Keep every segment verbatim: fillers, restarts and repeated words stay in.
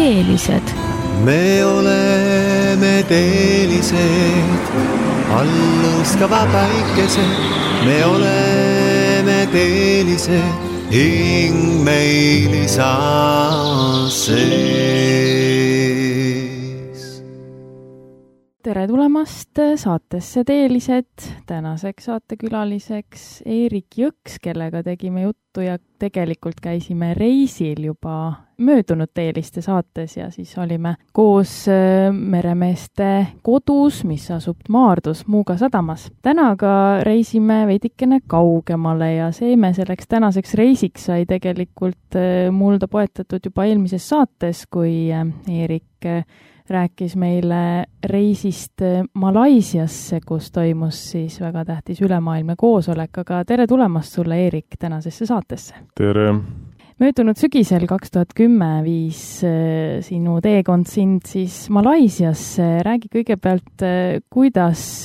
teelised. Me oleme teelised, allõuskava päikesed. Me oleme teelised, hing meil saa sees. Tere tulemast saatesse Teelised. Tänaseks saatekülaliseks Eerik Jõks, kellega tegime juttu ja tegelikult käisime reisil juba möödunud Teeliste saates ja siis olime koos meremeeste kodus, mis asub Maardus Muuga sadamas. Täna ka reisime veidikene kaugemale ja see me selleks tänaseks reisiks sai tegelikult mulda poetatud juba eelmises saates, kui Eerik rääkis meile reisist Malaisiasse, kus toimus siis väga tähtis ülemaailmne koosolek, aga tere tulemast sulle, Eerik, tänasesse saatesse. Tere! Möödunud sügisel kaks tuhat kümme viis sinu teekond sind siis Malaisiasse. Räägi kõigepealt, kuidas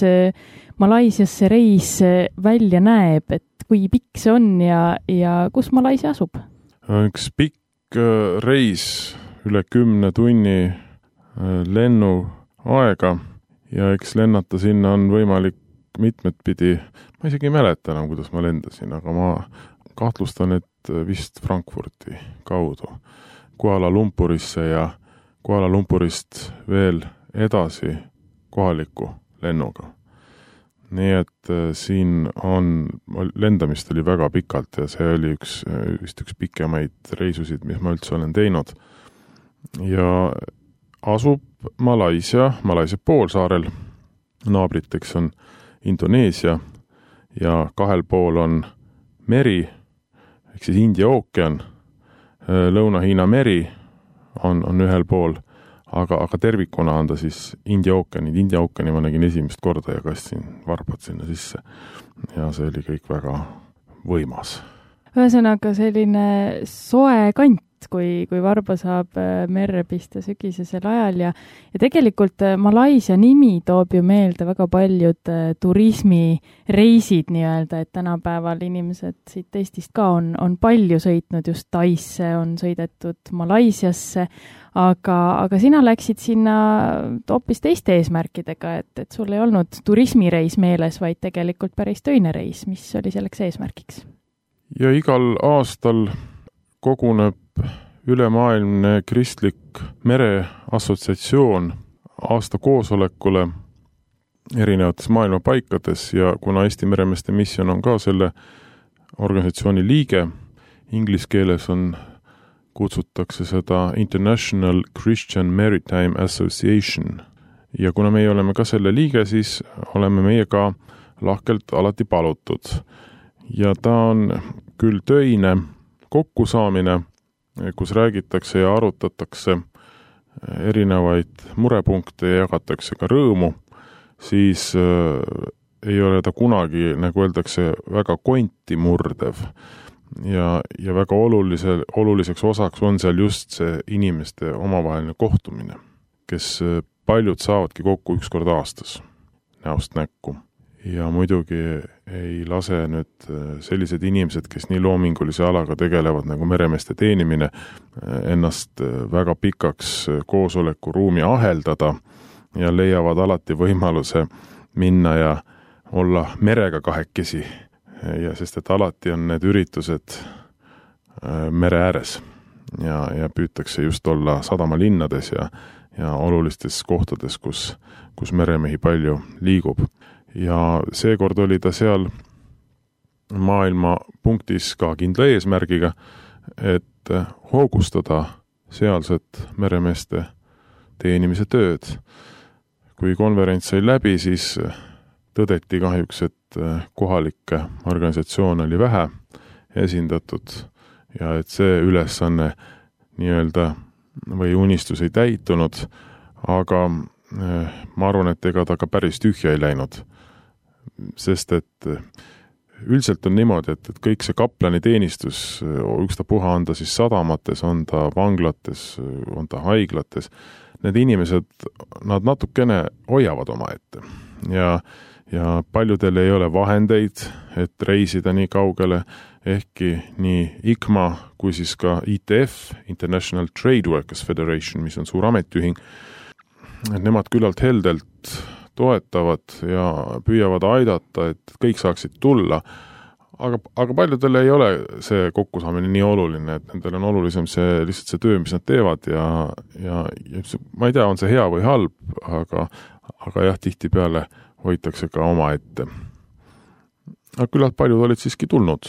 Malaisiasse reis välja näeb, et kui pikk see on ja, ja kus Malaisia asub? Üks pikk reis üle kümne tunni lennu aega ja eks lennata sinna on võimalik mitmed pidi. Ma isegi ei mäleta enam, kuidas ma lendasin, aga ma kahtlustan, et vist Frankfurti kaudu Kuala Lumpurisse ja Kuala Lumpurist veel edasi kohaliku lennuga. Nii et siin on, lendamist oli väga pikalt ja see oli üks, vist üks pikemaid reisusid, mis ma üldse olen teinud. Ja asub Malaisia, Malaisia poolsaarel. Naabriteks on Indoneesia ja kahel pool on meri, ehk siis India ookean. Lõuna-Hiina meri on, on ühel pool, aga, aga tervikuna on ta siis India ookeanid. India ookeani ma nägin esimest korda ja kastsin varbad sinna sisse. Ja see oli kõik väga võimas. Ühesõnaga selline soe kant, kui, kui varba saab merre pista sügisesel ajal ja, ja tegelikult Malaisia nimi toob ju meelde väga paljud turismireisid nii-öelda, et tänapäeval inimesed siit Eestist ka on, on palju sõitnud just Taisse, on sõidetud Malaisiasse, aga, aga sina läksid sinna hoopis teiste eesmärkidega, et, et sul ei olnud turismireis meeles, vaid tegelikult päris töine reis. Mis oli selleks eesmärkiks? Ja igal aastal koguneb ülemaailmne kristlik mereassotsiatsioon aasta koosolekule erinevates maailma paikades ja kuna Eesti meremeeste missioon on ka selle organisatsiooni liige, inglise keeles on, kutsutakse seda International Christian Maritime Association ja kuna meie oleme ka selle liige, siis oleme meie ka lahkelt alati palutud. Ja ta on küll töine kokkusaamine, kus räägitakse ja arutatakse erinevaid murepunkte ja jagatakse ka rõõmu, siis äh, ei ole ta kunagi, nagu öeldakse, väga konti murdev. Ja, ja väga olulise, oluliseks osaks on seal just see inimeste omavaheline kohtumine, kes paljud saavadki kokku üks kord aastas näost näkku. Ja muidugi ei lase nüüd sellised inimesed, kes nii loomingulise alaga tegelevad nagu meremeeste teenimine, ennast väga pikaks koosoleku ruumi aheldada ja leiavad alati võimaluse minna ja olla merega kahekesi. Ja sest et alati on need üritused mere ääres ja, ja püütakse just olla sadamalinnades ja, ja olulistes kohtades, kus, kus meremehi palju liigub. Ja seekord oli ta seal maailma punktis ka kindla eesmärgiga, et hoogustada sealset meremeeste teenimise tööd. Kui konverents sai läbi, siis tõdeti kahjuks, et kohalikke organisatsioone oli vähe esindatud ja et see ülesanne nii-öelda või unistus ei täitunud, aga ma arvan, et ega ta ka päris tühja ei läinud. Sest et üldiselt on niimoodi, et, et kõik see kaplani teenistus, ükstapuha on ta siis sadamates, on ta vanglates, on ta haiglates, need inimesed, nad natukene hoiavad oma ette. Ja, ja paljudel ei ole vahendeid, et reisida nii kaugele, ehkki nii I C M A kui siis ka I T F, International Trade Workers Federation, mis on suur ametiühing, et nemad küllalt heldelt toetavad ja püüavad aidata, et kõik saaksid tulla, aga, aga paljudel ei ole see kokkusaamine nii oluline, et nendel on olulisem see, lihtsalt see töö, mis nad teevad ja, ja, ja ma ei tea, on see hea või halb, aga, aga jah, tihtipeale hoitakse ka oma ette. Aga küllalt paljud olid siiski tulnud,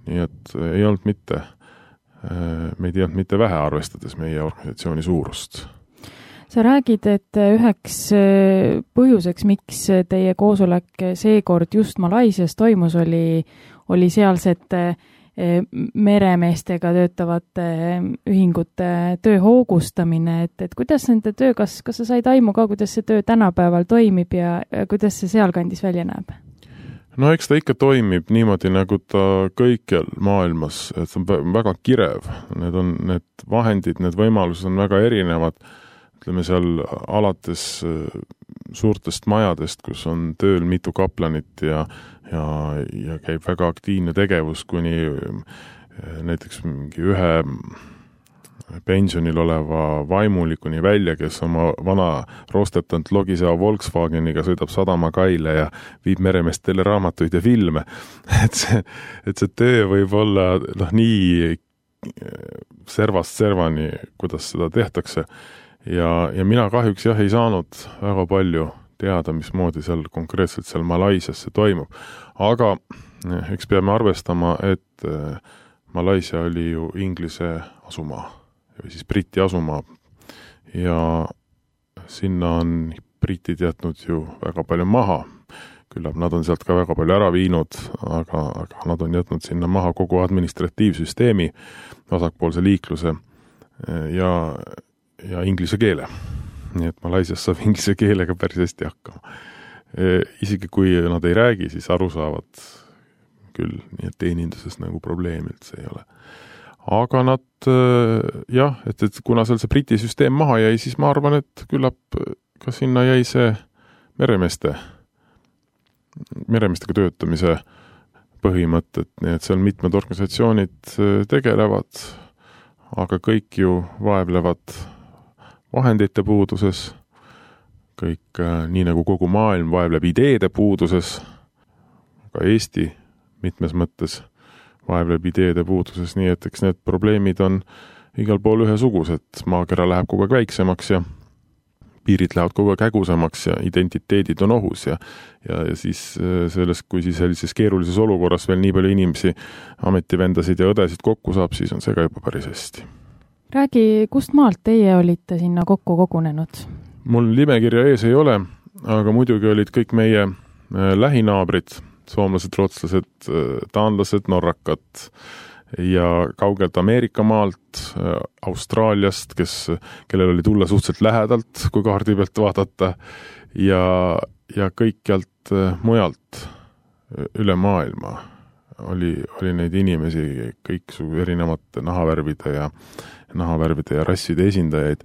nii et ei olnud mitte, meid ei olnud mitte vähe arvestades meie organisatsiooni suurust. Sa räägid, et üheks põhjuseks, miks teie koosolek seekord just Malaisias toimus, oli, oli sealsete meremeestega töötavate ühingute töö hoogustamine, et, et kuidas nende töö, kas, kas sa said aimu ka, kuidas see töö tänapäeval toimib ja kuidas see sealkandis välja näeb? No eks ta ikka toimib niimoodi, nagu ta kõikjal maailmas, et see on väga kirev. Need on need vahendid, need võimalused on väga erinevad. Ütleme seal alates suurtest majadest, kus on tööl mitu kaplanit ja ja, ja käib väga aktiivne tegevus, kuni näiteks mingi ühe pensionil oleva vaimulikuni välja, kes oma vana roostetanud logiseva Volkswageniga sõidab sadamakaile ja viib meremeestele raamatuid ja filme. Et see, et see töö võib olla noh, nii servast servani, kuidas seda tehtakse. Ja, ja mina kahjuks jah ei saanud väga palju teada, mismoodi seal konkreetselt seal Malaisias see toimub. Aga eks peame arvestama, et Malaisia oli ju Inglise asumaa või siis Briti asumaa ja sinna on britid jätnud ju väga palju maha. Küllap nad on sealt ka väga palju ära viinud, aga, aga nad on jätnud sinna maha kogu administratiivsüsteemi, vasakpoolse liikluse ja ja inglise keele. Nii et Malaisias saab inglise keelega päris hästi hakkama. E, isegi kui nad ei räägi, siis aru saavad küll, nii et teeninduses nagu probleemilt see ei ole. Aga nad, jah, et, et kuna seal see Briti süsteem maha jäi, siis ma arvan, et küllap ka sinna jäi see meremeeste, meremeestega töötamise põhimõtted, nii et seal mitmed organisatsioonid tegelevad, aga kõik ju vaevlevad vahendite puuduses, kõik nii nagu kogu maailm vaevleb ideede puuduses, ka Eesti mitmes mõttes vaevleb ideede puuduses, nii et eks need probleemid on igal pool ühesugused. Maakera läheb kogu aeg väiksemaks ja piirid lähevad kogu aeg hägusemaks ja identiteedid on ohus ja, ja, ja siis selles, kui siis sellises keerulises olukorras veel nii palju inimesi, ametivendasid ja õdesid kokku saab, siis on see ka juba päris hästi. Räägi, kust maalt teie olite sinna kokku kogunenud? Mul nimekirja ees ei ole, aga muidugi olid kõik meie lähinaabrid, soomlased, rootslased, taanlased, norrakad ja kaugelt Ameerika maalt, Austraaliast, kes, kellel oli tulla suhteliselt lähedalt, kui kaardi pealt vaadata, ja, ja kõikjalt mujalt üle maailma oli, oli neid inimesi, kõik su erinevate nahavärvide ja nahavärvide ja rasside esindajaid,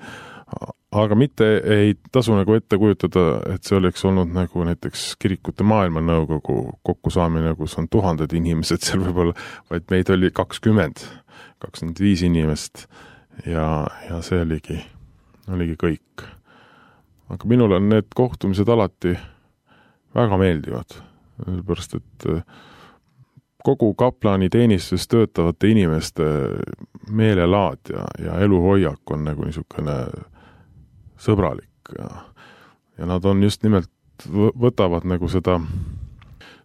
aga mitte ei tasu nagu ette kujutada, et see oleks olnud nagu näiteks kirikute maailmanõukogu kokkusaamine, kus on tuhanded inimesed seal võib-olla, vaid meid oli kakskümmend, kakskümmend viis inimest ja, ja see oligi, oligi kõik. Aga minul on need kohtumised alati väga meeldivad, sellepärast et kogu kaplani teenistus töötavate inimeste meelelaad ja, ja eluhoiak on nagu niisugune sõbralik ja, ja nad on just nimelt, võtavad nagu seda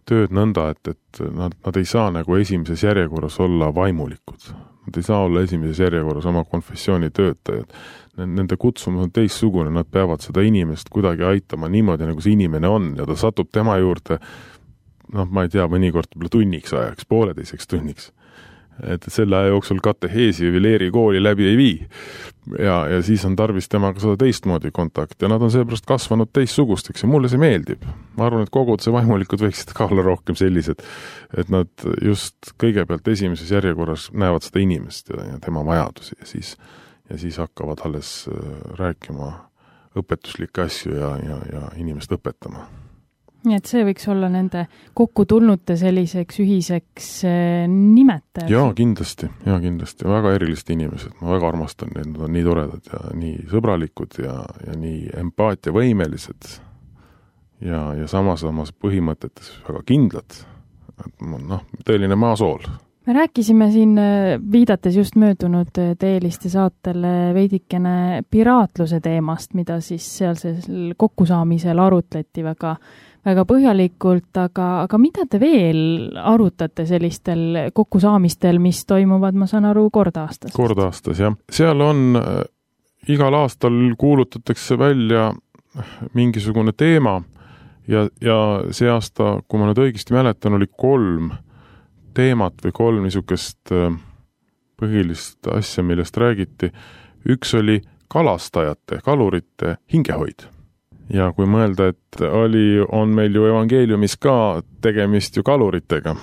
tööd nõnda, et, et nad, nad ei saa nagu esimeses järjekorras olla vaimulikud. Nad ei saa olla esimeses järjekorras oma konfessiooni töötajad. Nende kutsumus on teistsugune, nad peavad seda inimest kuidagi aitama niimoodi, nagu see inimene on ja ta satub tema juurde noh, ma ei tea, mõnikord tunniks ajaks, pooleteiseks tunniks. Et selle aja jooksul kateheesi või leeri kooli läbi ei vii. Ja, ja siis on tarvis temaga seda teistmoodi kontakt ja nad on seepärast kasvanud teistsugusteks ja mulle see meeldib. Ma arvan, et kogud see vaimulikud võiksid ka olla rohkem sellised, et nad just kõigepealt esimeses järjekorras näevad seda inimest ja, ja tema vajadusi ja siis, ja siis hakkavad alles rääkima õpetuslikke asju ja, ja, ja inimest õpetama. nii et see võiks olla nende kokku tulnute selliseks ühiseks nimetajaks. Jaa, kindlasti, jaa, kindlasti. Väga erilist inimesed. Ma väga armastan neid, nad on nii toredad ja nii sõbralikud ja, ja nii empaatiavõimelised ja, ja samas samas põhimõtetes väga kindlad. Noh, tõeline maasool. Me rääkisime siin, viidates just möödunud Teeliste saatele veidikene piraatluse teemast, mida siis sealsel kokkusaamisel arutleti väga, väga põhjalikult, aga, aga mida te veel arutate sellistel kokkusaamistel, mis toimuvad, ma saan aru, kord aastas? Kord aastas, jah. Seal on, igal aastal kuulutatakse välja mingisugune teema ja, ja see aasta, kui ma nüüd õigesti mäletan, oli kolm teemat või kolm niisugust põhilist asja, millest räägiti. Üks oli kalastajate, kalurite hingehoid. Ja kui mõelda, et oli, on meil ju evangeeliumis ka tegemist ju kaluritega.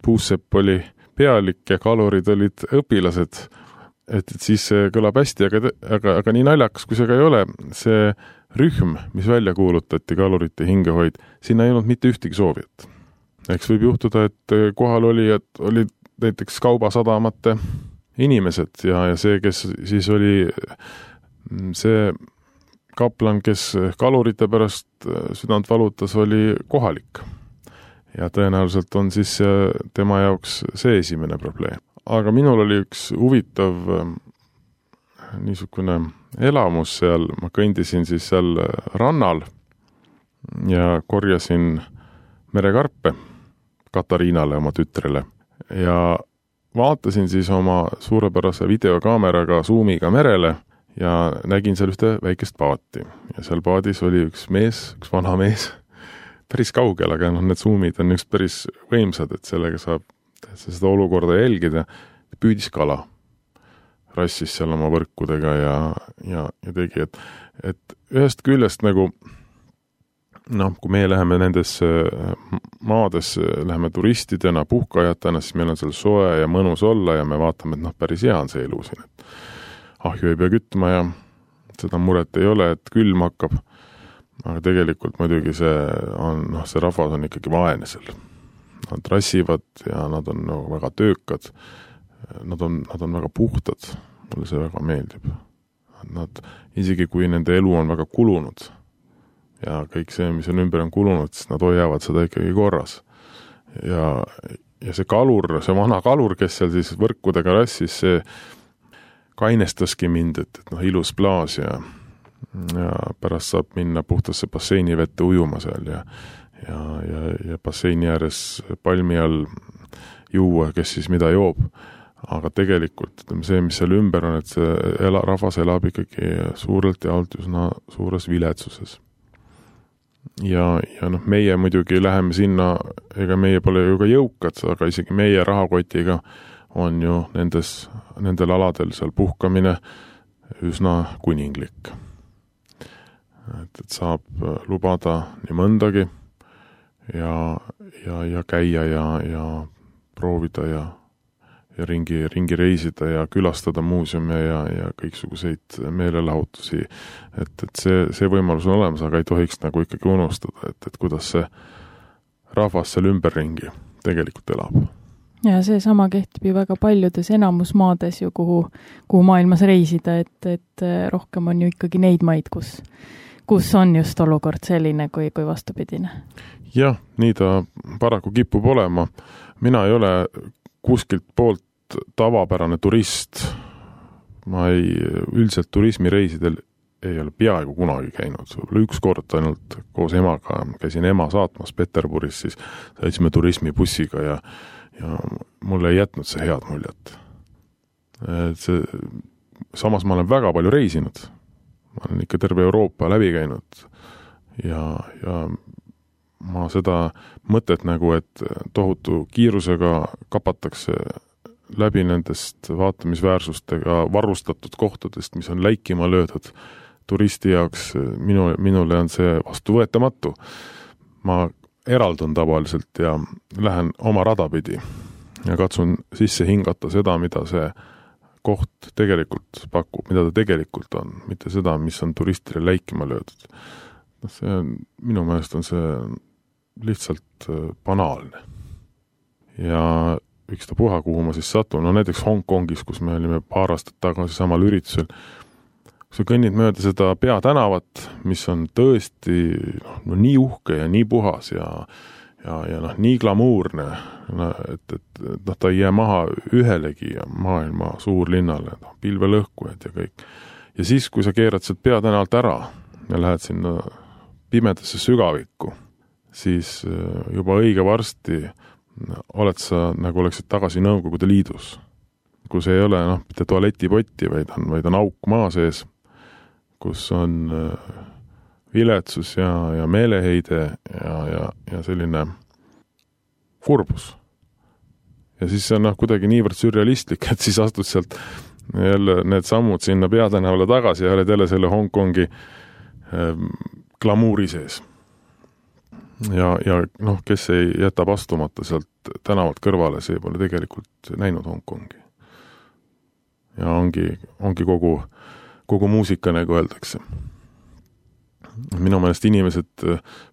Puusepp oli pealik ja kalurid olid õpilased. Et, et siis see kõlab hästi, aga, aga, aga nii naljakas, kui see ka ei ole, see rühm, mis välja kuulutati, kalurite hingehoid, sinna ei olnud mitte ühtegi soovijat. Eks võib juhtuda, et kohal oli, et olid näiteks kaubasadamate inimesed ja, ja see, kes siis oli see kaplan, kes kalurite pärast südant valutas, oli kohalik. Ja tõenäoliselt on siis tema jaoks see esimene probleem. Aga minul oli üks huvitav niisugune elamus seal, ma kõndisin siis seal rannal ja korjasin merekarpe Katariinale, oma tütrele. Ja vaatasin siis oma suurepärase videokaameraga Zoomiga merele ja nägin seal ühte väikest paati. Ja seal paadis oli üks mees, üks vana mees, päris kaugel, aga no, need Zoomid on üks päris võimsad, et sellega saab seda olukorda jälgida. Püüdis kala, rassis seal oma võrkudega ja, ja, ja tegi, et, et ühest küljest nagu noh, kui meie läheme nendes maades, läheme turistidena, puhkajatena, siis meil on seal soe ja mõnus olla ja me vaatame, et noh, päris hea on see elu siin. Et ahju ei pea kütma ja seda muret ei ole, et külm hakkab. Aga tegelikult muidugi see on, noh, see rahvas on ikkagi vaene seal. Nad rassivad ja nad on no, väga töökad. Nad on, nad on väga puhtad. Mulle see väga meeldib. Nad, isegi kui nende elu on väga kulunud, ja kõik see, mis on ümber on kulunud, siis nad hoiavad seda ikkagi korras. Ja, ja see kalur, see vana kalur, kes seal siis võrkudega rassis, see kainestaski mind, et, et noh, ilus plaas ja, ja pärast saab minna puhtasse basseini vette ujuma seal ja, ja, ja, ja basseini ääres palmi all juua, kes siis mida joob. Aga tegelikult see, mis seal ümber on, et see ela, rahvas elab ikkagi suurelt ja alt üsna suures viletsuses. Ja, ja noh, meie muidugi läheme sinna, ega meie pole ju ka jõukad, aga isegi meie rahakotiga on ju nendes, nendel aladel seal puhkamine üsna kuninglik. Et, et saab lubada nii mõndagi ja, ja, ja käia ja, ja proovida ja, ja ringi, ringi reisida ja külastada muuseume ja, ja kõiksuguseid meelelahutusi. Et, et see, see võimalus on olemas, aga ei tohiks nagu ikkagi unustada, et, et kuidas see rahvas seal ümberringi tegelikult elab. Ja see sama kehtib ju väga paljudes enamusmaades ju, kuhu, kuhu maailmas reisida, et, et rohkem on ju ikkagi neid maid, kus, kus on just olukord selline kui, kui vastupidine. Jah, nii ta paraku kipub olema. Mina ei ole kuskilt poolt tavapärane turist. Ma ei, üldiselt turismireisidel ei ole peaaegu kunagi käinud. Üks kord ainult koos emaga käisin ema saatmas Peterburis, siis sõitsime turismibussiga ja, ja mulle ei jätnud see head muljet. Et see, samas ma olen väga palju reisinud. Ma olen ikka terve Euroopa läbi käinud ja, ja ma seda mõtet nagu, et tohutu kiirusega kapatakse läbi nendest vaatamisväärsustega varustatud kohtadest, mis on läikima löödud turisti jaoks, minu, minule on see vastuvõetamatu. Ma eraldun tavaliselt ja lähen oma radapidi ja katsun sisse hingata seda, mida see koht tegelikult pakub, mida ta tegelikult on, mitte seda, mis on turistile läikima löödud. See on, minu meelest on see lihtsalt banaalne. Ja üks ta puha, kuhu ma siis satun, no näiteks Hongkongis, kus me olime paar aastat tagasi samal üritusel, kui sa kõnnid mööda seda peatänavat, mis on tõesti noh, no, nii uhke ja nii puhas ja, ja, ja noh, nii glamuurne, no, et, et noh, ta ei jää maha ühelegi maailma suurlinnale, no, pilvelõhkujad ja kõik. Ja siis, kui sa keerad sealt peatänavalt ära ja lähed sinna pimedasse sügavikku, siis juba õige varsti oled sa, nagu oleksid tagasi Nõukogude Liidus, kus ei ole noh, mitte tualetipotti, vaid on, vaid on auk maa sees, kus on viletsus ja, ja meeleheide ja, ja, ja selline kurbus. Ja siis see on noh, kuidagi niivõrd sürrealistlik, et siis astud sealt jälle need sammud sinna peatänavale tagasi ja oled jälle selle Hongkongi ähm, glamuuri sees. Ja, ja noh, kes ei jätab astumata sealt tänavalt kõrvale, see pole tegelikult näinud Hongkongi. Ja ongi, ongi kogu, kogu muusika, nagu öeldakse. Minu meelest inimesed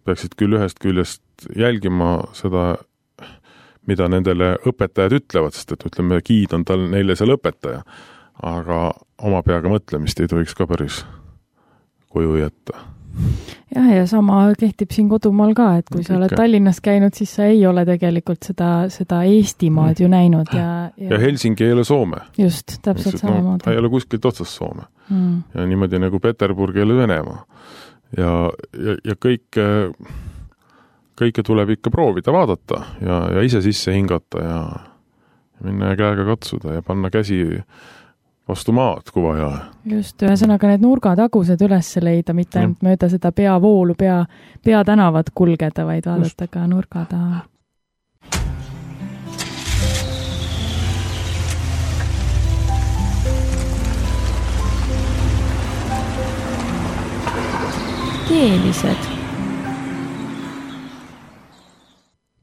peaksid küll ühest küljest jälgima seda, mida nendele õpetajad ütlevad, sest et ütleme, giid on tal neile seal õpetaja, aga oma peaga mõtlemist ei tohiks ka päris koju jätta. Jah, ja sama kehtib siin kodumaal ka, et kui sa oled Tallinnas käinud, siis sa ei ole tegelikult seda, seda Eestimaad ju näinud. Ja, ja... ja Helsingi ei ole Soome. Just, täpselt samamoodi. No, ta ei ole kuskilt otsast Soome. Mm. Ja niimoodi nagu Peterburg ei ole Venemaa. Ja, ja, ja kõike, kõike tuleb ikka proovida vaadata ja, ja ise sisse hingata ja minna käega katsuda ja panna käsi vastu maad, kui vaja. Just, ühesõnaga need nurgatagused üles leida, mitte ainult mm. mööda seda peavoolu, pea, peatänavat kulgeda, vaid vaadata Just. Ka nurga taha. Keelised.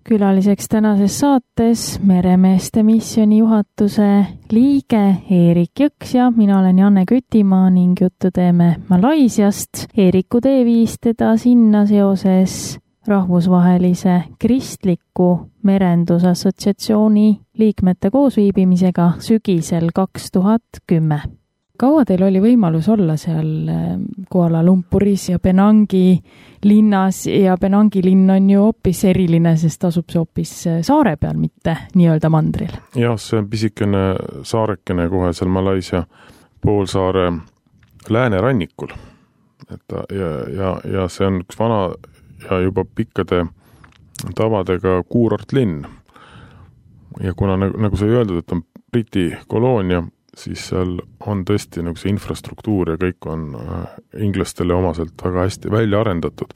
Külaliseks tänases saates Meremeeste missiooni juhatuse liige Eerik Jõks ja mina olen Janne Kütimaa ning juttu teeme Malaisiast. Eeriku tee viis teda sinna seoses rahvusvahelise kristliku merendusassotsiatsiooni liikmete koosviibimisega sügisel kaks tuhat kümme. Kaua teil oli võimalus olla seal Kuala Lumpuris ja Penangi linnas ja Penangi linn on ju hoopis eriline, sest asub see hoopis saare peal, mitte nii-öelda mandril. Jah, see on pisikene saarekene kohe seal Malaisia poolsaare läänerannikul. Et ja, ja, ja see on üks vana ja juba pikkade tavadega kuurortlinn. Ja kuna nagu, nagu sai öeldud, et on Briti koloonia, siis seal on tõesti nagu see infrastruktuur ja kõik on inglastele omaselt väga hästi välja arendatud.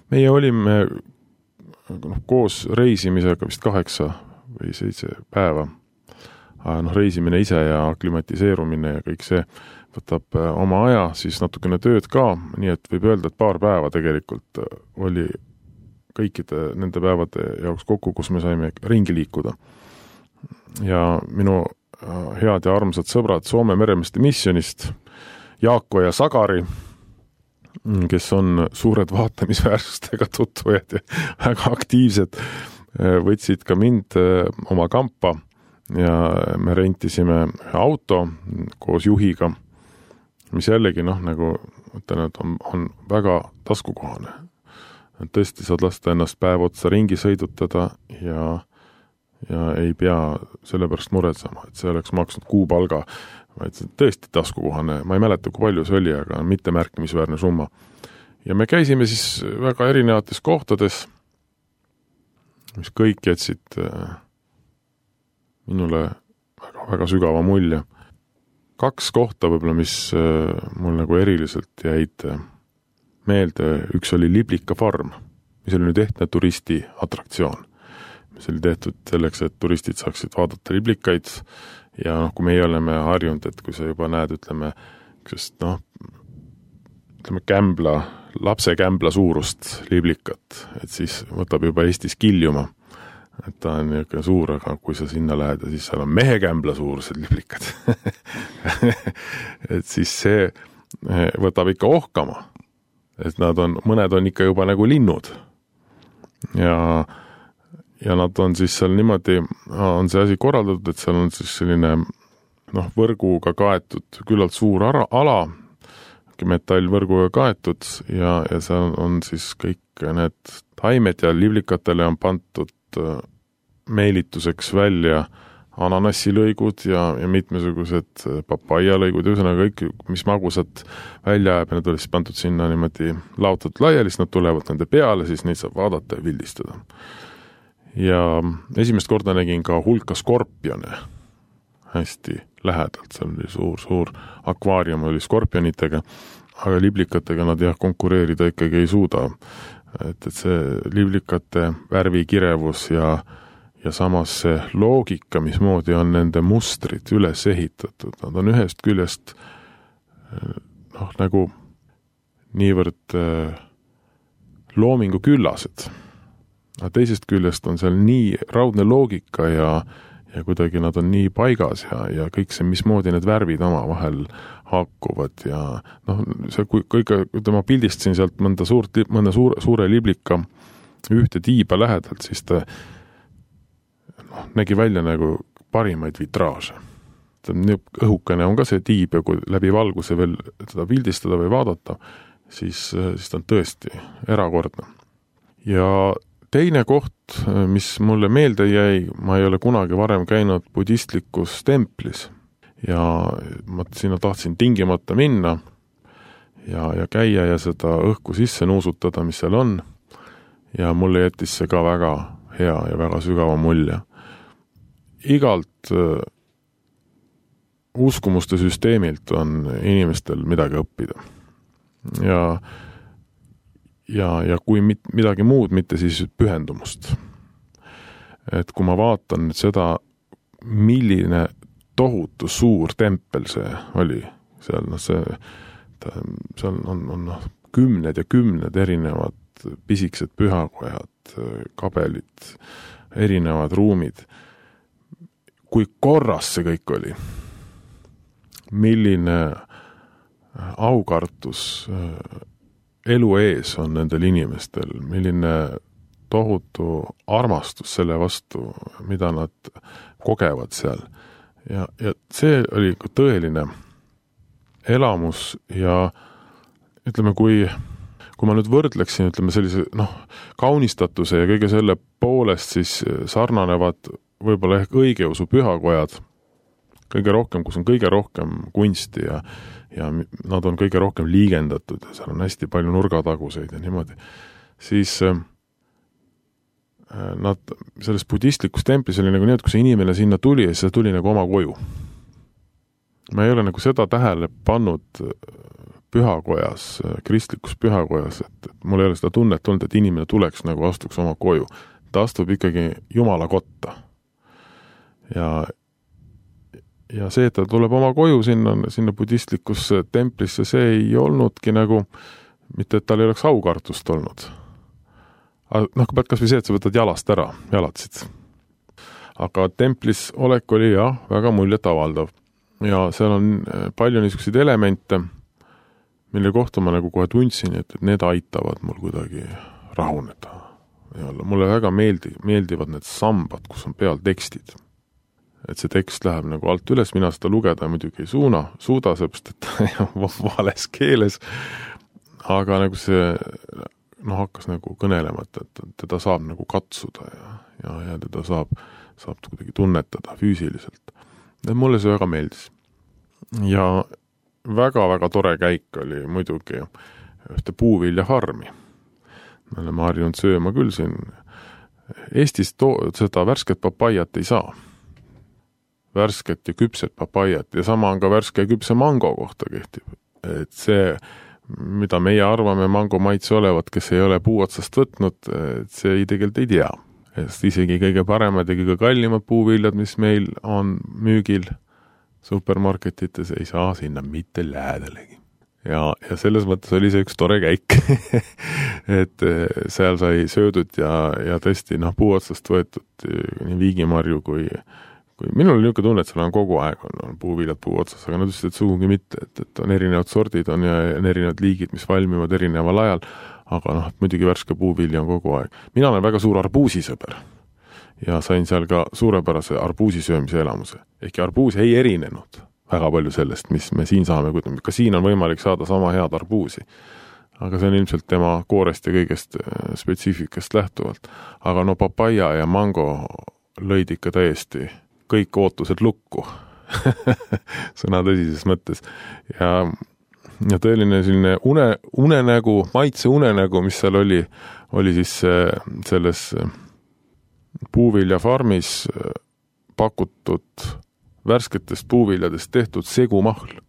Meie olime noh, koos reisimisega vist kaheksa või seitse päeva. No, reisimine ise ja aklimatiseerumine ja kõik see võtab oma aja, siis natukene tööd ka, nii et võib öelda, et paar päeva tegelikult oli kõikide nende päevade jaoks kokku, kus me saime ringi liikuda. Ja minu head ja armsad sõbrad Soome Meremeeste missionist, Jaako ja Sagari, kes on suured vaatamisväärsustega tutvujad ja väga aktiivsed, võtsid ka mind oma kampa ja me rentisime auto koos juhiga, mis jällegi noh, nagu ütlen, et on, on väga taskukohane. Tõesti saad lasta ennast päev otsa ringi sõidutada ja ja ei pea sellepärast muretsema, et see oleks maksnud kuupalga, vaid see tõesti taskukohane. Ma ei mäleta, kui palju see oli, aga mitte märkimisväärne summa. Ja me käisime siis väga erinevates kohtades, mis kõik jätsid minule väga, väga sügava mulje. Kaks kohta võib-olla, mis mul nagu eriliselt jäid meelde. Üks oli Liblika farm, mis oli nüüd ehtne turisti atraktsioon. See oli tehtud selleks, et turistid saaksid vaadata liblikaid ja noh, kui meie oleme harjunud, et kui sa juba näed, ütleme, sest noh, ütleme kämbla, lapse kämbla suurust liblikat, et siis võtab juba Eestis kiljuma, et ta on niisugune suur, aga kui sa sinna lähed ja siis seal on mehe kämbla suurused liblikad, et siis see võtab ikka ohkama, et nad on, mõned on ikka juba nagu linnud. ja ja nad on siis seal niimoodi, on see asi korraldatud, et seal on siis selline noh, võrguga kaetud küllalt suur ara, ala, metallvõrguga kaetud ja, ja seal on siis kõik need taimed ja liblikatele on pandud meelituseks välja ananassilõigud ja, ja mitmesugused papaialõigud, ühesõnaga kõik, mis magusad välja jääb, need oli siis pandud sinna niimoodi laotatud laiali, siis nad tulevad nende peale, siis neid saab vaadata ja pildistada. Ja esimest korda nägin ka hulka skorpione hästi lähedalt, seal oli suur, suur akvaarium oli skorpionitega, aga liblikatega nad jah, konkureerida ikkagi ei suuda. Et, et see liblikate värvikirevus ja, ja samas see loogika, mismoodi on nende mustrid üles ehitatud, nad on ühest küljest noh, nagu niivõrd loomingu küllased. Aga teisest küljest on seal nii raudne loogika ja, ja kuidagi nad on nii paigas ja, ja kõik see, mismoodi need värvid oma vahel haakuvad ja noh, see kui kõige, ma pildistasin sealt mõnda, suurt, mõnda suure, suure liblika ühte tiiba lähedalt, siis ta noh, nägi välja nagu parimaid vitraaže. Õhukene on ka see tiib ja kui läbi valguse veel seda pildistada või vaadata, siis, siis ta on tõesti erakordne. Ja teine koht, mis mulle meelde jäi, ma ei ole kunagi varem käinud budistlikus templis ja ma sinna tahtsin tingimata minna ja, ja käia ja seda õhku sisse nuusutada, mis seal on. Ja mulle jättis see ka väga hea ja väga sügava mulje. Igalt uh, uskumuste süsteemilt on inimestel midagi õppida. Ja Ja, ja kui mit, midagi muud, mitte siis pühendumust. Et kui ma vaatan nüüd seda, milline tohutu suur tempel see oli, seal, no see, ta, seal on, on no, kümned ja kümned erinevad pisikesed pühakojad, kabelid, erinevad ruumid. Kui korras see kõik oli, milline aukartus elu ees on nendel inimestel, milline tohutu armastus selle vastu, mida nad kogevad seal. Ja, ja see oli tõeline elamus ja ütleme, kui, kui ma nüüd võrdleksin, ütleme sellise noh, kaunistatuse ja kõige selle poolest, siis sarnanevad võib-olla ehk õigeusu pühakojad kõige rohkem, kus on kõige rohkem kunsti ja ja nad on kõige rohkem liigendatud ja seal on hästi palju nurgataguseid ja niimoodi, siis äh, nad selles budistlikus templis oli nagu nii, et kui see inimene sinna tuli ja siis tuli nagu oma koju. Ma ei ole nagu seda tähele pannud pühakojas, kristlikus pühakojas, et, et mul ei ole seda tunnet olnud, et inimene tuleks nagu astuks oma koju. Ta astub ikkagi Jumala kotta. Ja Ja see, et ta tuleb oma koju sinna, sinna budistlikus templisse, see ei olnudki nagu, mitte et tal ei oleks aukartust olnud. Aga noh, pead kas või see, et sa võtad jalast ära, jalatsid. Aga templis olek oli jah, väga muljet avaldav. Ja seal on palju niisuguseid elemente, mille kohta ma nagu kohe tundsin, et need aitavad mul kuidagi rahuneda. Ja mulle väga meeldi, meeldivad need sambad, kus on peal tekstid. Et see tekst läheb nagu alt üles, mina seda lugeda muidugi ei suuna, suuda, seepärast, et vales keeles, aga nagu see noh, hakkas nagu kõnelema, et, et teda saab nagu katsuda ja, ja, ja teda saab, saab kuidagi tunnetada füüsiliselt. Ja mulle see väga meeldis. Ja väga-väga tore käik oli muidugi ühte puuviljaharmi. Me oleme harjunud sööma küll siin. Eestis to- seda värsket papaiat ei saa. Värsket ja küpset papaiat ja sama on ka värske ja küpse mango kohta kehtib. Et see, mida meie arvame mango maitse olevat, kes ei ole puu otsast võtnud, et see ei tegelikult ei tea. Sest isegi kõige paremad ja kõige kallimad puuviljad, mis meil on müügil supermarketites, ei saa sinna mitte lähedalegi. Ja, ja selles mõttes oli see üks tore käik. Et seal sai söödud ja, ja tõesti noh, puu otsast võetud nii viigimarju kui Kui minul oli niisugune tunne, et seal on kogu aeg on, on puuviljad puu otsas, aga nad ütlesid, et sugugi mitte, et, et on erinevad sordid on ja on erinevad liigid, mis valmivad erineval ajal, aga noh, et muidugi värske puuvilja on kogu aeg. Mina olen väga suur arbuusisõber ja sain seal ka suurepärase arbuusisöömise elamuse. Ehkki arbuus ei erinenud väga palju sellest, mis me siin saame, ka siin on võimalik saada sama head arbuusi. Aga see on ilmselt tema koorest ja kõigest spetsiifikast lähtuvalt. Aga no papaia ja mango lõid ikka täiesti kõik ootused lukku. Sõna tõsises mõttes. Ja, ja tõeline selline une, unenägu, maitse unenägu, mis seal oli, oli siis selles puuviljafarmis pakutud värsketest puuviljadest tehtud segumahl.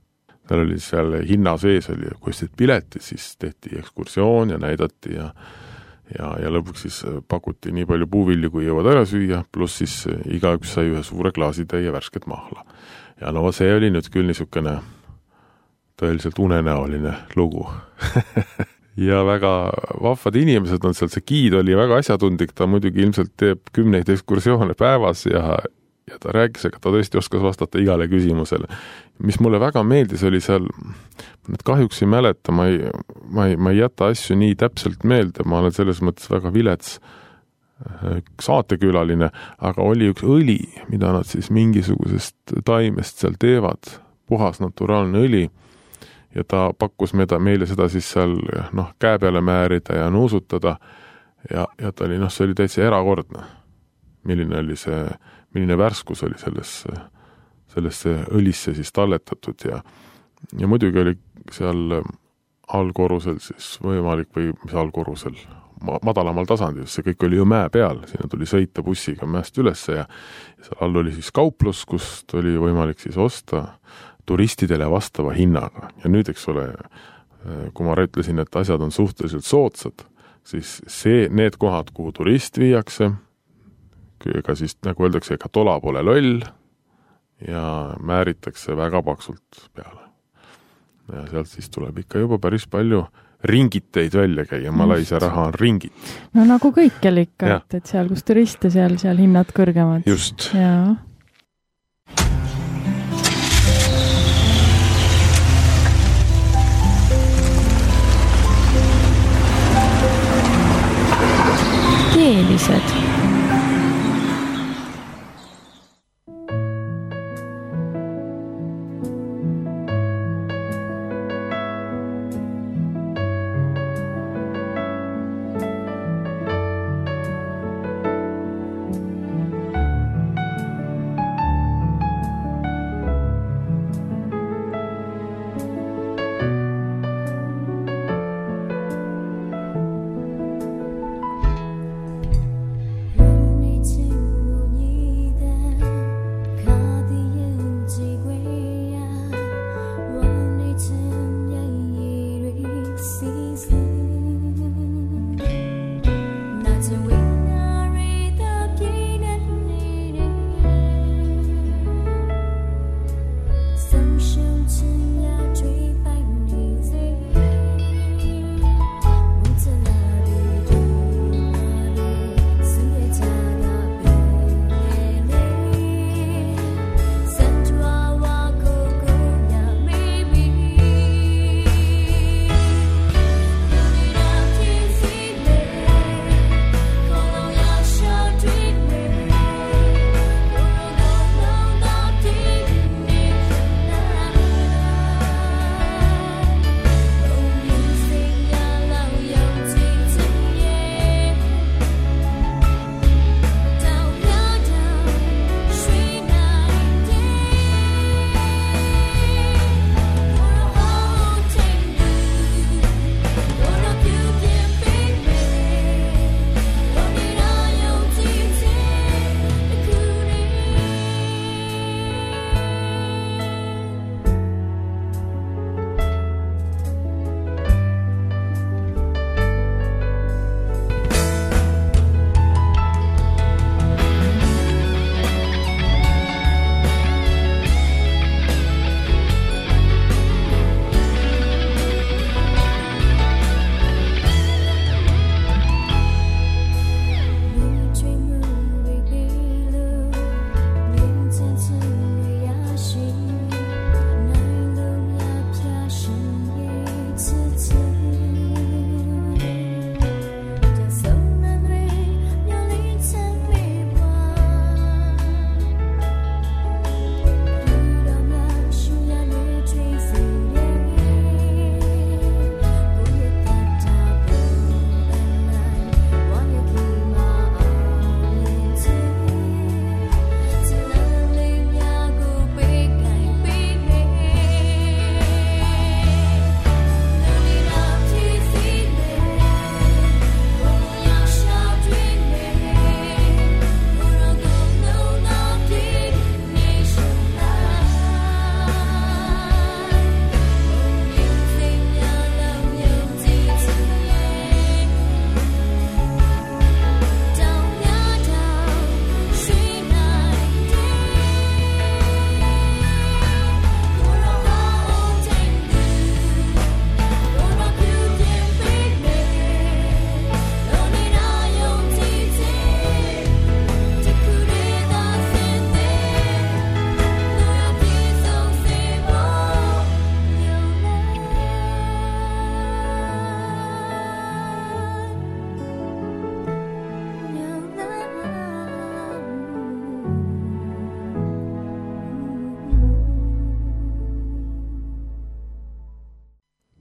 Seal oli seal hinna sees oli, kui ostsid pileti, siis tehti ekskursioon ja näidati ja, ja, ja lõpuks siis pakuti nii palju puuvilju, kui jõuad ära süüa, pluss siis igaüks sai ühe suure klaasitäie värsket mahla. Ja no see oli nüüd küll niisugune tõeliselt unenäoline lugu. Ja väga vahvad inimesed on seal, see giid oli väga asjatundlik, ta muidugi ilmselt teeb kümneid ekskursioone päevas ja ja ta rääkis, aga ta tõesti oskas vastata igale küsimusele. Mis mulle väga meeldis, oli seal, et kahjuks ei mäleta, ma ei, ma ei, ma ei jäta asju nii täpselt meelde, ma olen selles mõttes väga vilets saatekülaline, aga oli üks õli, mida nad siis mingisugusest taimest seal teevad, puhas naturaalne õli, ja ta pakkus meida, meile seda siis seal noh, käe peale määrida ja nuusutada, ja, ja ta oli, noh, see oli täitsa erakordne, milline oli see milline värskus oli sellesse, sellesse õlisse siis talletatud ja, ja muidugi oli seal allkorrusel siis võimalik või mis allkorrusel, madalamal tasandil, see kõik oli ju mäe peal, sinna tuli sõita bussiga mäest ülesse ja, ja seal all oli siis kauplus, kust oli võimalik siis osta turistidele vastava hinnaga ja nüüd, eks ole, kui ma ütlesin, et asjad on suhteliselt soodsad, siis see, need kohad, kuhu turist viiakse, ega siis, nagu öeldakse, ega tola pole loll ja määritakse väga paksult peale. Ja sealt siis tuleb ikka juba päris palju ringiteid välja käia, Malaisia raha on ringit. No nagu kõikjal ikka, et, et seal, kus turiste, seal, seal hinnad kõrgemad. Just. Jaa. Keelised.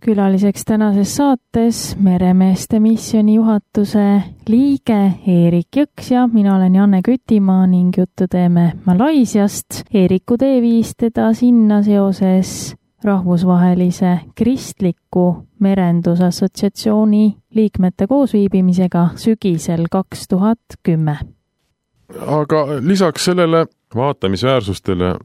Külaliseks tänases saates Meremeeste missiooni juhatuse liige Eerik Jõks ja mina olen Janne Kütimaa ning juttu teeme Malaisiast. Eeriku tee viis teda sinna seoses rahvusvahelise kristliku merendusassotsiatsiooni liikmete koosviibimisega sügisel kaks tuhat kümme. Aga lisaks sellele vaatamisväärsustele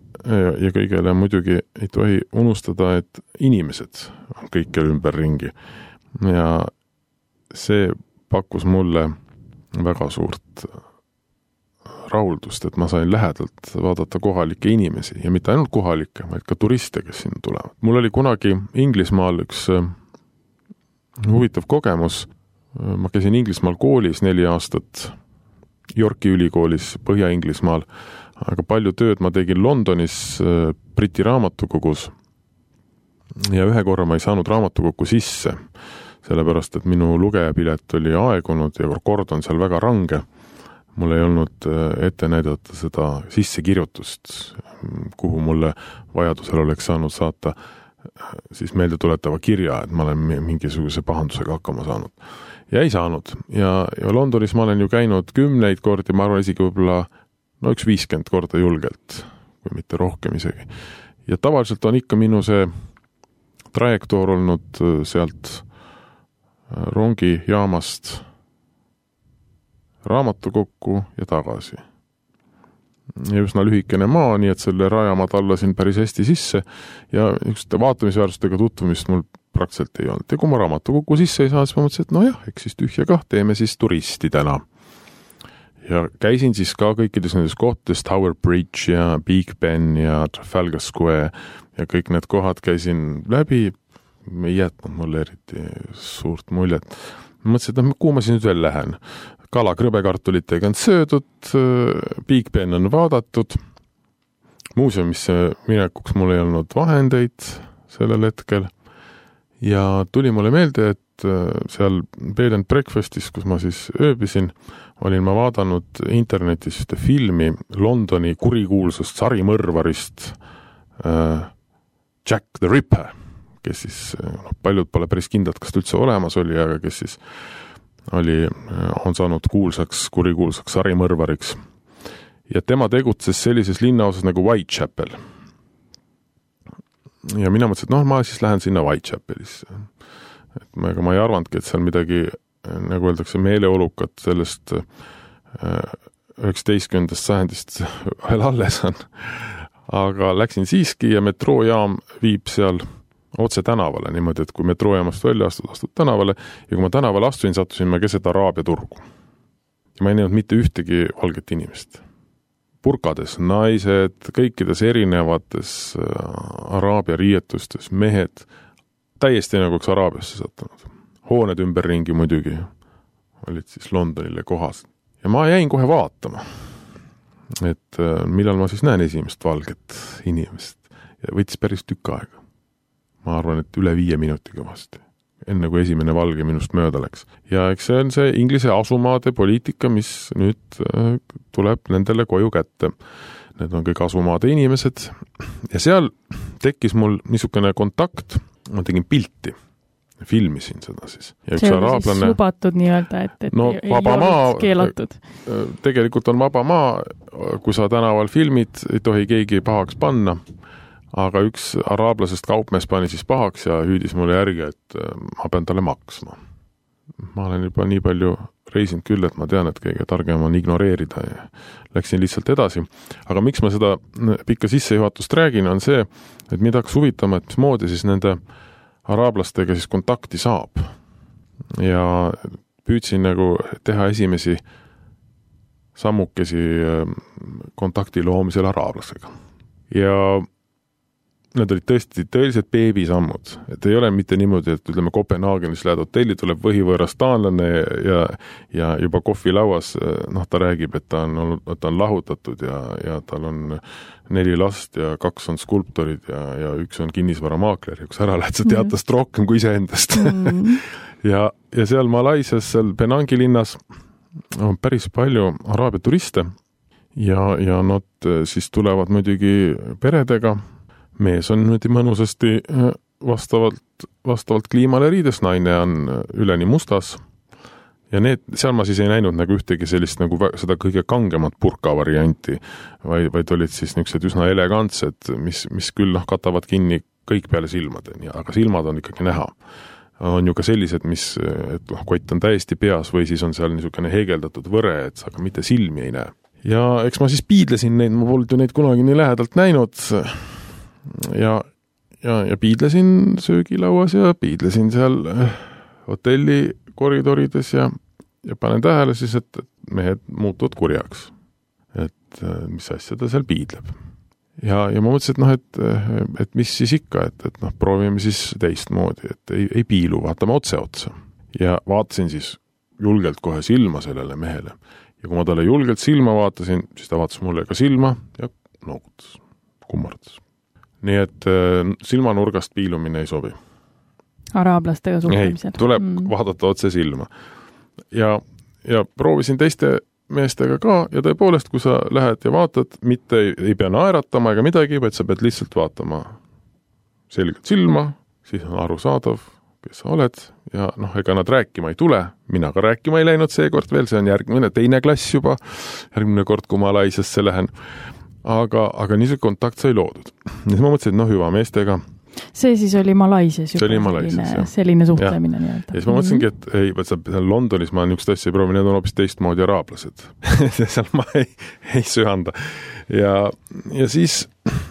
ja kõigele muidugi ei tohi unustada, et inimesed on kõikjal ümberringi. Ja see pakkus mulle väga suurt rahuldust, et ma sain lähedalt vaadata kohalikke inimesi ja mitte ainult kohalikke, vaid ka turiste, kes sinna tulevad. Mul oli kunagi Inglismaal üks huvitav kogemus. Ma käisin Inglismaal koolis neli aastat, Yorki ülikoolis Põhja-Inglismaal, aga palju tööd ma tegin Londonis Briti raamatukogus ja ühe korra ma ei saanud raamatukokku sisse, sellepärast, et minu lugejapilet oli aegunud ja kord on seal väga range. Mul ei olnud ette näidata seda sissekirjutust, kuhu mulle vajadusel oleks saanud saata siis meelde tuletava kirja, et ma olen mingisuguse pahandusega hakkama saanud. Ja ei saanud. Ja, ja Londonis ma olen ju käinud kümneid kordi, ma arvan isegi võib-olla no üks viiskümmend korda julgelt, kui mitte rohkem isegi. Ja tavaliselt on ikka minu see trajektoor olnud sealt rongijaamast raamatukokku ja tagasi. Ja üsna lühikene maa, nii et selle raja ma tallasin päris hästi sisse ja üks vaatamisväärsustega tutvumist mul praktiliselt ei olnud. Ja kui ma raamatukokku sisse ei saa, siis ma mõtlesin, et no jah, eks siis tühja kah, teeme siis turisti täna. Ja käisin siis ka kõikides nendes kohtades, Tower Bridge ja Big Ben ja Trafalgar Square ja kõik need kohad käisin läbi, ei jätnud mulle eriti suurt muljet. Ma mõtlesin, et no, kuhu ma siin nüüd veel lähen. Kala krõbekartulitega on söödud, Big Ben on vaadatud, muuseumisse minekuks mul ei olnud vahendeid sellel hetkel ja tuli mulle meelde, et seal Bed and Breakfastis, kus ma siis ööbisin, olin ma vaadanud internetis ühte filmi Londoni kurikuulsust sarimõrvarist äh, Jack the Ripper, kes siis, no, paljud pole päris kindlad, kas ta üldse olemas oli, aga kes siis oli, on saanud kuulsaks, kurikuulsaks sarimõrvariks. Ja tema tegutses sellises linnaosas nagu Whitechapel. Ja mina mõtlesin, et noh, ma siis lähen sinna Whitechapelisse. Et ma, ega ma ei arvandki, et seal midagi, nagu öeldakse, meeleolukat sellest üheksateistkümnendast sajandist veel alles on. Aga läksin siiski ja metroojaam viib seal otse tänavale, niimoodi, et kui metroojaamast välja astud, astud tänavale ja kui ma tänavale astuin, sattusin ma keset Araabia turgu. Ja ma ei näinud mitte ühtegi valget inimest. Purkades naised, kõikides erinevates Araabia riietustes, mehed, täiesti nagu üks Araabiasse sattunud. Hooned ümberringi muidugi olid siis Londonile kohas. Ja ma jäin kohe vaatama, et millal ma siis näen esimest valget inimest. Ja võttis päris tükk aega. Ma arvan, et üle viie minutiga vast, enne kui esimene valge minust mööda läks. Ja eks see on see Inglise asumaade poliitika, mis nüüd tuleb nendele koju kätte. Need on kõik asumaade inimesed. Ja seal tekkis mul niisugune kontakt, ma tegin pilti, filmisin seda siis. Ja üks see oli araablane, siis lubatud nii-öelda, et, et no, ei olnud keelatud. Tegelikult on vaba maa, kui sa tänaval filmid, ei tohi keegi pahaks panna. Aga üks araablasest kaupmees pani siis pahaks ja hüüdis mulle järgi, et ma pean talle maksma. Ma olen juba nii palju reisinud küll, et ma tean, et kõige targem on ignoreerida ja läksin lihtsalt edasi. Aga miks ma seda pikka sissejuhatust räägin, on see, et mida hakkas huvitama, et mismoodi siis nende araablastega siis kontakti saab. Ja püüdsin nagu teha esimesi sammukesi kontakti loomisel araablasega. Ja need olid tõesti tõeliselt beebisammud, et ei ole mitte niimoodi, et ütleme Kopenhaagenis lähed hotelli, tuleb võhivõõras taanlane ja, ja juba kohvilauas, noh, ta räägib, et ta on, ta on lahutatud ja, ja tal on neli last ja kaks on skulptorid ja, ja üks on kinnisvaramaakler ja kus ära lähed, sa tead tast rohkem kui iseendast. Mm. ja, ja seal Malaisias, seal Penangi linnas on päris palju araabia turiste ja, ja nad siis tulevad muidugi peredega. Mees on nüüd mõnusasti vastavalt, vastavalt kliimale riides, naine on üleni mustas ja need, seal ma siis ei näinud nagu ühtegi sellist nagu seda kõige kangemat purka varianti, vaid, vaid olid siis niisugused üsna elegantsed, mis, mis küll noh, katavad kinni kõik peale silmade, aga silmad on ikkagi näha. On ju ka sellised, mis, et noh, kott on täiesti peas või siis on seal niisugune heegeldatud võre, et sa ka mitte silmi ei näe. Ja eks ma siis piidlesin neid, ma polnud ju neid kunagi nii lähedalt näinud ja, ja, ja piidlesin söögilauas ja piidlesin seal hotelli koridorides ja, ja panen tähele siis, et mehed muutuvad kurjaks. Et mis asja ta seal piidleb. Ja, ja ma mõtlesin, et noh, et, et mis siis ikka, et, et noh, proovime siis teistmoodi, et ei, ei piilu, vaatame otse otsa. Ja vaatasin siis julgelt kohe silma sellele mehele. Ja kui ma talle julgelt silma vaatasin, siis ta vaatas mulle ka silma ja noogutas, kummardas. Nii et silmanurgast piilumine ei sobi. Araablastega suhtlemisel. Ei, tuleb mm. vaadata otse silma. Ja, ja proovisin teiste meestega ka ja tõepoolest, kui sa lähed ja vaatad, mitte ei, ei pea naeratama ega midagi, vaid sa pead lihtsalt vaatama selgelt silma, siis on arusaadav, kes sa oled ja noh, ega nad rääkima ei tule, mina ka rääkima ei läinud seekord veel, see on järgmine teine klass juba, järgmine kord, kui ma Malaisiasse lähen, aga, aga niisugune kontakt sai loodud. Ja siis ma mõtlesin, et noh, hüva meestega. See siis oli Malaisias juba oli Malaisias, selline, selline suhtlemine. Ja. ja siis ma mõtlesingi, et ei, võt, seal Londonis ma niisugust asja ei proovi, need on hoopis teistmoodi araablased. seal ma ei, ei söanda. Ja, ja siis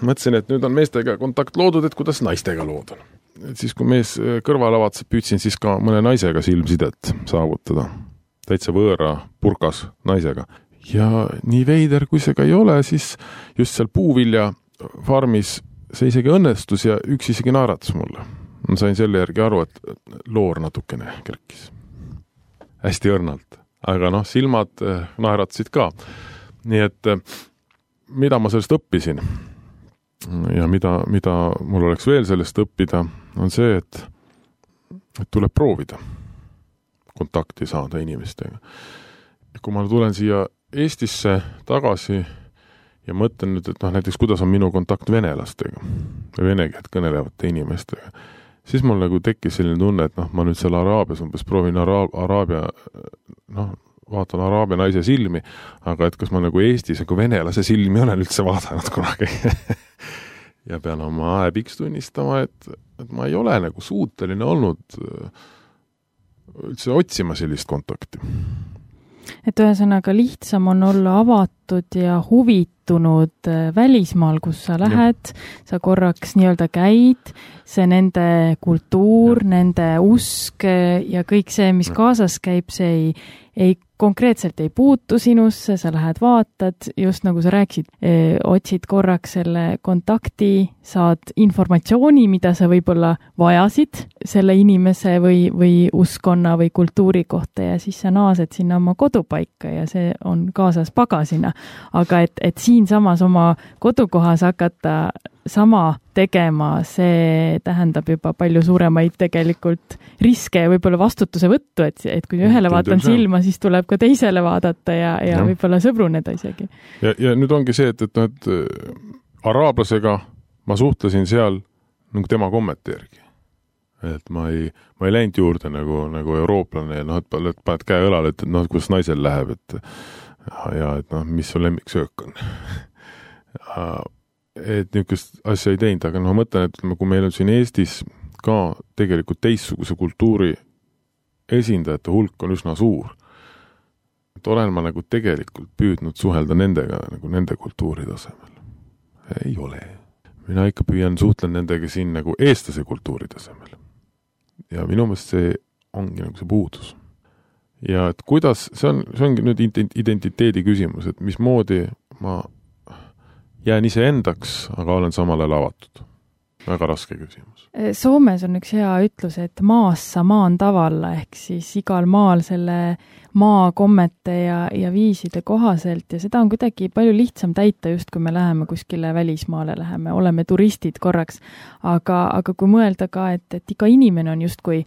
mõtlesin, et nüüd on meestega kontakt loodud, et kuidas naistega lood on. Et siis kui mees kõrvale vaatas, püüdsin siis ka mõne naisega silmsidet saavutada. Täitsa võõra purkas naisega. Ja nii veider, kui see ka ei ole, siis just seal puuvilja farmis see isegi õnnestus ja üks isegi naeratas mulle. Ma sain selle järgi aru, et loor natukene kerkis. Hästi õrnalt. Aga noh, silmad naeratasid ka. Nii et mida ma sellest õppisin ja mida, mida mul oleks veel sellest õppida, on see, et, et tuleb proovida kontakti saada inimestega. Kui ma tulen siia Eestisse tagasi ja mõtlen nüüd, et noh, näiteks kuidas on minu kontakt venelastega või vene keelt kõnelevate inimestega, siis mul nagu tekkis selline tunne, et noh, ma nüüd seal Araabias umbes proovin Araab, Araabia, noh, vaatan Araabia naise silmi, aga et kas ma nagu Eestis nagu venelase silmi olen üldse vaadanud kunagi. ja pean oma häbiks tunnistama, et, et ma ei ole nagu suuteline olnud üldse otsima sellist kontakti. Et ühesõnaga lihtsam on olla avatud ja huvitunud välismaal, kus sa lähed, ja. Sa korraks nii-öelda käid, see nende kultuur, ja. Nende usk ja kõik see, mis kaasas käib, see ei, ei konkreetselt ei puutu sinusse, sa lähed vaatad, just nagu sa rääksid, otsid korraks selle kontakti, saad informatsiooni, mida sa võib-olla vajasid selle inimese või, või uskonna või kultuuri kohta ja siis sa naased sinna oma kodupaika ja see on kaasas pagasina. Aga et, et siin samas oma kodukohas hakata sama tegema, see tähendab juba palju suuremaid tegelikult riske ja võib-olla vastutuse võttu, et, et kui ühele vaatan silma, siis tuleb ka teisele vaadata ja, ja, ja. Võib-olla sõbruneda isegi. Ja, ja nüüd ongi see, et, et, et araablasega ma suhtlesin seal nagu tema kommete järgi. Et ma ei, ma ei läinud juurde nagu, nagu eurooplane ja noh, et paned käe õlale, et noh, kuidas naisel läheb, et ja et noh, mis su lemmiksöök on. et niisugust asja ei teinud, aga noh, mõtlen, et kui meil on siin Eestis ka tegelikult teistsuguse kultuuri esindajate hulk on üsna suur. Et olen ma nagu tegelikult püüdnud suhelda nendega nagu nende kultuuri tasemel. Ei ole. Mina ikka püüan suhtlen nendega siin nagu eestlase kultuuri tasemel. Ja minu meelest see ongi nagu see puudus. Ja et kuidas, see, on, see ongi nüüd identiteedi küsimus, et mismoodi ma jään ise endaks, aga olen samal ajal avatud. Väga raske küsimus. Soomes on üks hea ütlus, et maassa maan tavalla, ehk siis igal maal selle maa kommete ja, ja viiside kohaselt ja seda on kuidagi palju lihtsam täita just, kui me läheme kuskile välismaale, läheme, oleme turistid korraks, aga, aga kui mõelda ka, et, et iga inimene on justkui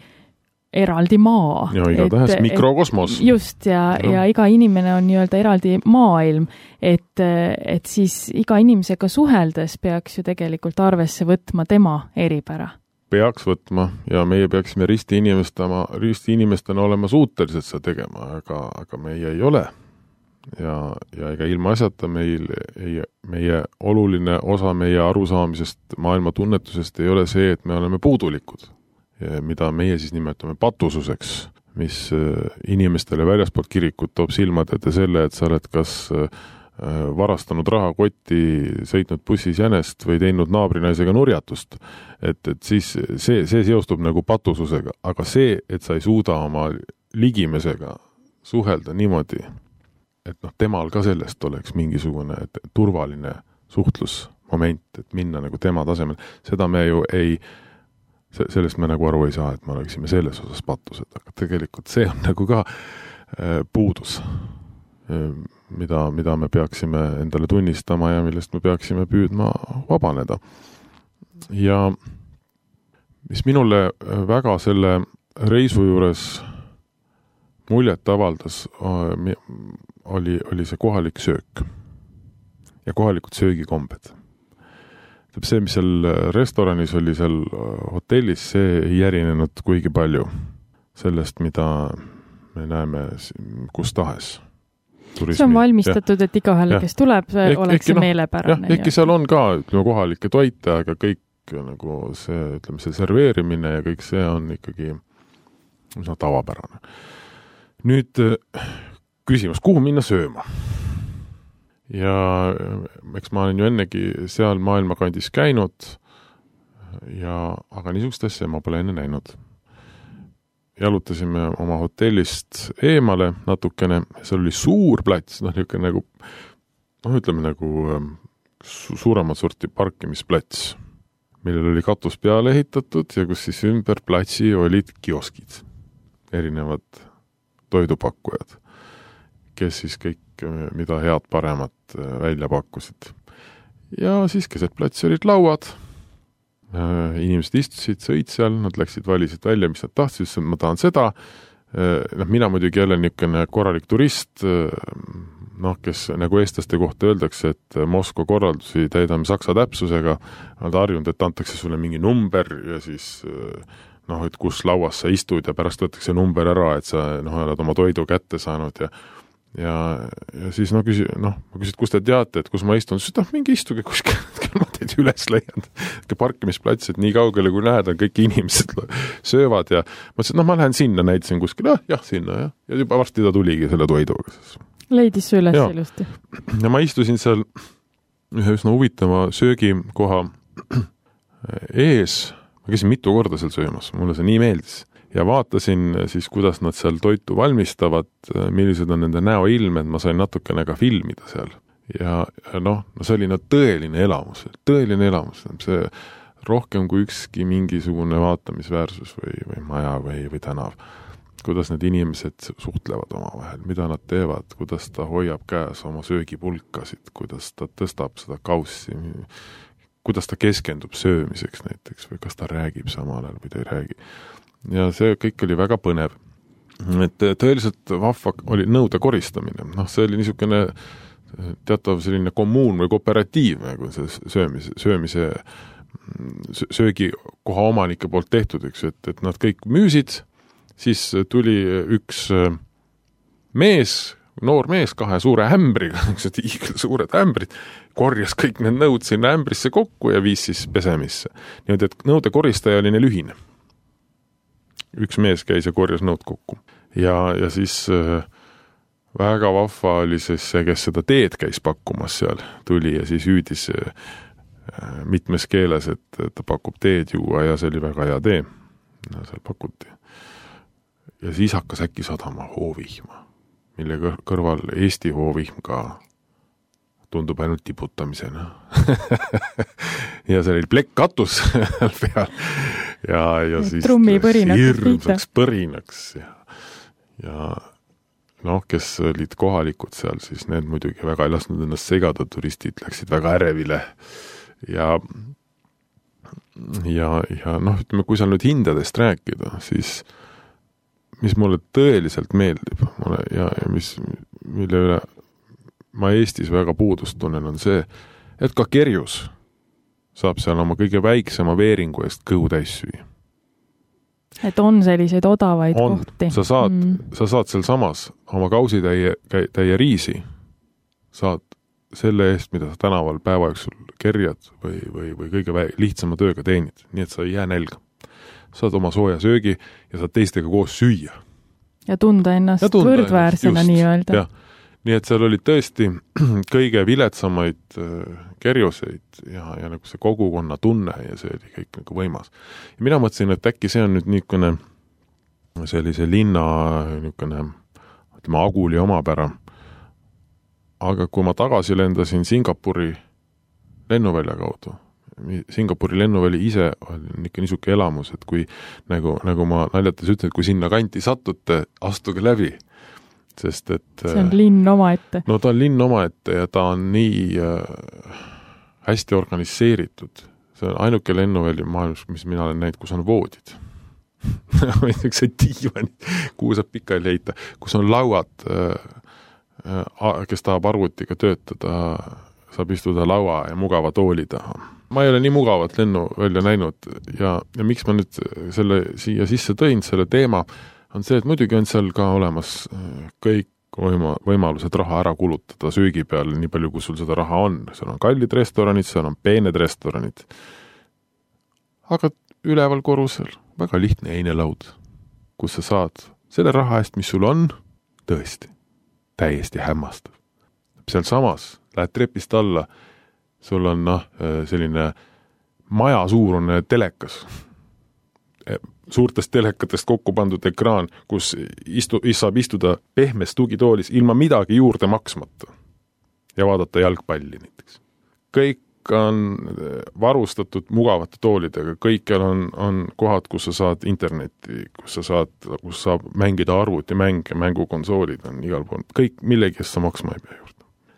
eraldi maa. Ja iga tähes mikrokosmos. Just, ja, ja. ja iga inimene on nii-öelda eraldi maailm, et, et siis iga inimesega suheldes peaks ju tegelikult arvesse võtma tema eripära. peaks võtma ja meie peaksime risti inimestama, risti inimestena olema suutelised seda tegema, aga, aga meie ei ole. Ja, ja ega ilma asjata meil ei, meie oluline osa meie arusaamisest, maailma tunnetusest ei ole see, et me oleme puudulikud, mida meie siis nimetame patususeks, mis inimestele väljaspoolt kirikut toob silmad ette selle, et sa oled kas varastanud rahakotti, sõitnud bussis jänest või teinud naabrinaisega nurjatust. Et, et siis see, see seostub nagu patususega, aga see, et sa ei suuda oma ligimesega suhelda niimoodi, et noh, temal ka sellest oleks mingisugune et, turvaline suhtlusmoment, et minna nagu tema tasemel. Seda me ju ei, sellest me nagu aru ei saa, et me oleksime selles osas patused, aga tegelikult see on nagu ka puudus, mida, mida me peaksime endale tunnistama ja millest me peaksime püüdma vabaneda. Ja mis minule väga selle reisu juures muljet avaldas, oli, oli see kohalik söök ja kohalikud söögikombed. See, mis seal restoranis oli, seal hotellis, see ei erinenud kuigi palju sellest, mida me näeme kus tahes. Turismi. See on valmistatud, ja, et igahele, kes tuleb, see oleks see meelepärane. Ehkki seal on ka ütleme, kohalikke toite, aga kõik nagu see, ütleme, see serveerimine ja kõik see on ikkagi üsna tavapärane. Nüüd küsimus, kuhu minna sööma? Ja eks ma olen ju ennegi seal maailmakandis käinud, ja, aga niisugust asja ma pole enne näinud. Jalutasime oma hotellist eemale natukene, seal oli suur plats, noh, niisugune nagu, noh, ütleme nagu su- suuremat sorti parkimisplats, millel oli katus peale ehitatud ja kus siis ümber platsi olid kioskid, erinevad toidupakkujad, kes siis kõik, mida head paremat välja pakkusid. Ja siis keset platsi olid lauad, inimesed istusid, sõid seal, nad läksid, valisid välja, mis nad tahtsid, siis ma tahan seda. Noh, mina muidugi jälle niisugune korralik turist, noh, kes nagu eestlaste kohta öeldakse, et Moskva korraldusi täidame saksa täpsusega, nad harjunud, et antakse sulle mingi number ja siis noh, et kus lauas sa istud ja pärast võtakse number ära, et sa noh, oled oma toidu kätte saanud ja Ja, ja siis no, küsi, noh, ma küsid, kus te teate, et kus ma istun, siis noh, mingi istuge kuskil, ma teid üles leian. Parkimisplats, et nii kaugele kui näed, on kõik inimesed söövad ja ma ütlesin, noh, ma lähen sinna, näitasin kuskil, jah, jah, sinna, jah. Ja juba varsti ta tuligi selle toiduga. Leidis su üles ilusti. Ja ma istusin seal ühe üsna huvitava söögikoha ees, ma käisin mitu korda seal söömas, mulle see nii meeldis. Ja vaatasin siis, kuidas nad seal toitu valmistavad, millised on nende näoilmed, ma sain natukene ka filmida seal. Ja noh, no see oli no tõeline elamus, tõeline elamus, see rohkem kui ükski mingisugune vaatamisväärsus või, või maja või, või tänav. Kuidas need inimesed suhtlevad omavahel, mida nad teevad, kuidas ta hoiab käes oma söögipulkasid, kuidas ta tõstab seda kaussi, kuidas ta keskendub söömiseks näiteks või kas ta räägib samal ajal või ta ei räägi. Ja see kõik oli väga põnev. Et tõeliselt vahva oli nõude koristamine. Noh, see oli niisugune teatav selline kommuun või kooperatiiv, nagu see söömise, söömise söögikoha omanike poolt tehtud, üks, et, et nad kõik müüsid, siis tuli üks mees, noor mees kahe suure ämbriga, suured ämbrid, korjas kõik need nõud sinna ämbrisse kokku ja viis siis pesemisse. Niimoodi, et nõude koristaja oli neil ühine. Üks mees käis ja korjas nõud kokku. Ja, ja siis äh, väga vahva oli siis see, kes seda teed käis pakkumas seal, tuli ja siis hüüdis äh, mitmes keeles, et ta pakub teed juua ja see oli väga hea tee. Ja seal pakuti. Ja siis hakkas äkki sadama hoovihma, mille kõrval Eesti hoovihm ka tundub ainult tiputamisena. Ja see oli plekkatus peal. Ja, ja siis hirmsaks põrinaks ja, ja noh, kes olid kohalikud seal, siis need muidugi väga ei lasknud ennast segada, turistid läksid väga ärevile ja ja, ja noh, ütleme, kui seal nüüd hindadest rääkida, siis mis mulle tõeliselt meeldib mulle, ja, ja mis, mille üle ma Eestis väga puudust tunnen, on see, et ka kerjus saab seal oma kõige väiksema veeringu eest kõhu täis süüa. Et on selliseid odavaid on. kohti. Sa saad, mm. sa saad seal samas oma kausitäie täie riisi, saad selle eest, mida sa tänaval päeva jooksul kerjad või, või, või kõige vä- lihtsama tööga teenid, nii et sa ei jää nälga. Saad oma sooja söögi ja saad teistega koos süüa. Ja tunda ennast ja tunda võrdväärsena ennast, nii öelda. Ja. Nii et seal oli tõesti kõige viletsamaid kerjuseid ja, ja nagu see kogukonna tunne ja see oli kõik nagu võimas. Ja mina mõtlesin, et äkki see on nüüd niisugune sellise linna niisugune, ütleme, Aguli omapära. Aga kui ma tagasi lendasin Singapuri lennuvälja kaudu, Singapuri lennuväli ise on ikka niisuke elamus, et kui nagu, nagu ma naljates ütlen, et kui sinna kanti satute, astuge läbi. Sest et see on linn omaette. No ta on linn omaette ja ta on nii äh, hästi organiseeritud. See on ainuke lennuväli maailmas, mis mina olen näinud, kus on voodid. see diivanid, kuhu saab pikali leita, kus on lauad, äh, äh, kes tahab arvutiga töötada, saab istuda laua ja mugava tooli taha. Ma ei ole nii mugavat lennuvälja näinud ja, ja miks ma nüüd selle siia sisse tõin, selle teema, on see, et muidugi on seal ka olemas kõik võima, võimalused raha ära kulutada söögi peale, nii palju, kui sul seda raha on. Seal on kallid restoranid, seal on peened restoranid. Aga üleval korrusel väga lihtne einelaud, kus sa saad selle raha eest, mis sul on, tõesti, täiesti hämmastav. Seal samas lähed trepist alla, sul on noh, selline maja suurune telekas, suurtest telekatest kokku pandud ekraan, kus istu, saab istuda pehmes tugitoolis ilma midagi juurde maksmata ja vaadata jalgpalli näiteks. Kõik on varustatud mugavate toolidega, kõikjal on, on kohad, kus sa saad internetti, kus sa saad, kus saab mängida arvuti mänge, mängukonsoolid on igal pool, kõik millegi eest sa maksma ei pea juurde.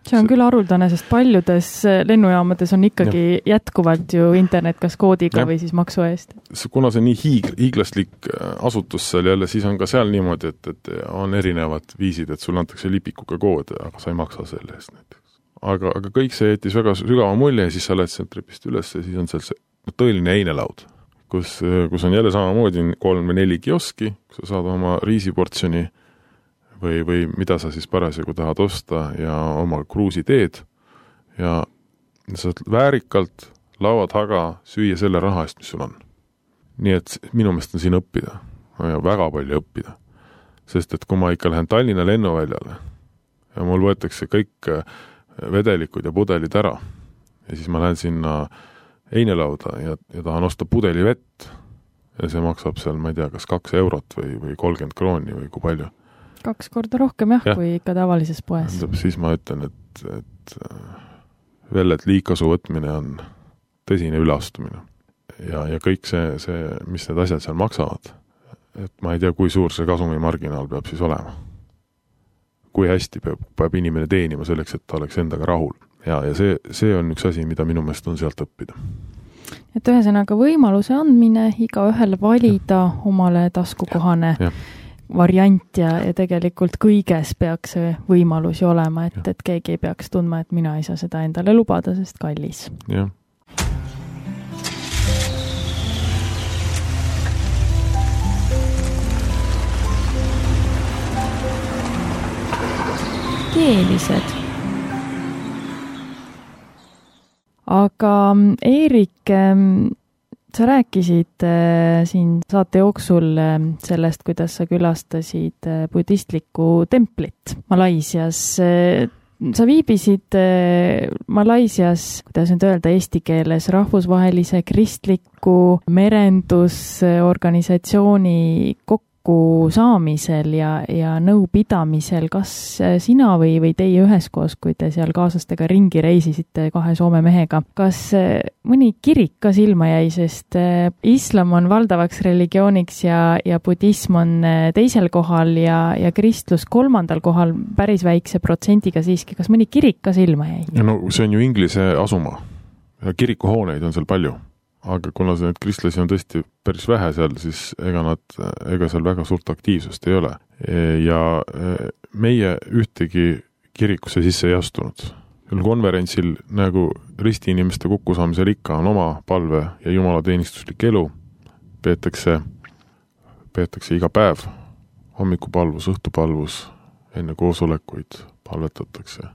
See on küll haruldane, sest paljudes lennujaamades on ikkagi ja. jätkuvalt ju internet kas koodiga ja. või siis maksu eest. Kuna see nii hiig, hiiglaslik asutus seal jälle, siis on ka seal niimoodi, et, et on erinevad viisid, et sul antakse lipikuga koode, aga sa ei maksa selle eest näiteks. Aga, aga kõik see jättis väga sügava mulje ja siis sa lähed sealt trepist üles ja siis on seal see tõeline einelaud, kus, kus on jälle samamoodi kolm või neli kioski, kus sa saad oma riisiportsjoni või, või mida sa siis parasjagu tahad osta ja oma kruusi teed ja sa saad väärikalt laua taga süüa selle raha eest, mis sul on. Nii et minu meelest on siin õppida ja väga palju õppida. Sest et kui ma ikka lähen Tallinna lennuväljale ja mul võetakse kõik vedelikud ja pudelid ära ja siis ma lähen sinna einelauda ja, ja tahan osta pudeli vett ja see maksab seal, ma ei tea, kas kaks eurot või, või kolmkümmend krooni või kui palju. Kaks korda rohkem jah, ja. kui ikka tavalises poes. Siis ma ütlen, et, et veel, et liikasu võtmine on tõsine üleastumine. Ja, ja kõik see, see, mis need asjad seal maksavad, et ma ei tea, kui suur see kasumimarginaal peab siis olema. Kui hästi peab, peab inimene teenima selleks, et ta oleks endaga rahul. Ja, ja see, see on üks asi, mida minu meelest on sealt õppida. Et ühesõnaga võimaluse andmine iga ühele valida ja. omale taskukohane ja. variant ja, ja tegelikult kõiges peaks see võimalusi olema, et, et keegi ei peaks tundma, et mina ei saa seda endale lubada, sest kallis. Jah. Keelised. Aga Eerik, sa rääkisid siin saate jooksul sellest, kuidas sa külastasid budistlikku templit Malaisias. Sa viibisid Malaisias, kuidas nüüd öelda eesti keeles, rahvusvahelise kristliku merendusorganisatsiooni kokku saamisel ja, ja nõupidamisel. Kas sina või, või teie üheskoos, kui te seal kaaslastega ringi reisisite kahe Soome mehega, kas mõni kirik ka silma jäi, sest islam on valdavaks religiooniks ja, ja budism on teisel kohal ja, ja kristlus kolmandal kohal päris väikse protsendiga siiski. Kas mõni kirik ka silma jäi? Ja no see on ju Inglise asuma. Kirikuhooneid on seal palju. Aga kuna see need kristlasi on tõesti päris vähe seal, siis ega nad, ega seal väga suurt aktiivsust ei ole. Ja meie ühtegi kirikusse sisse ei astunud. konverentsil nagu ristiinimeste kokkusaamisel ikka on oma palve ja jumalateenistuslik elu, peetakse, peetakse iga päev, hommikupalvus, õhtupalvus, enne koosolekuid palvetatakse.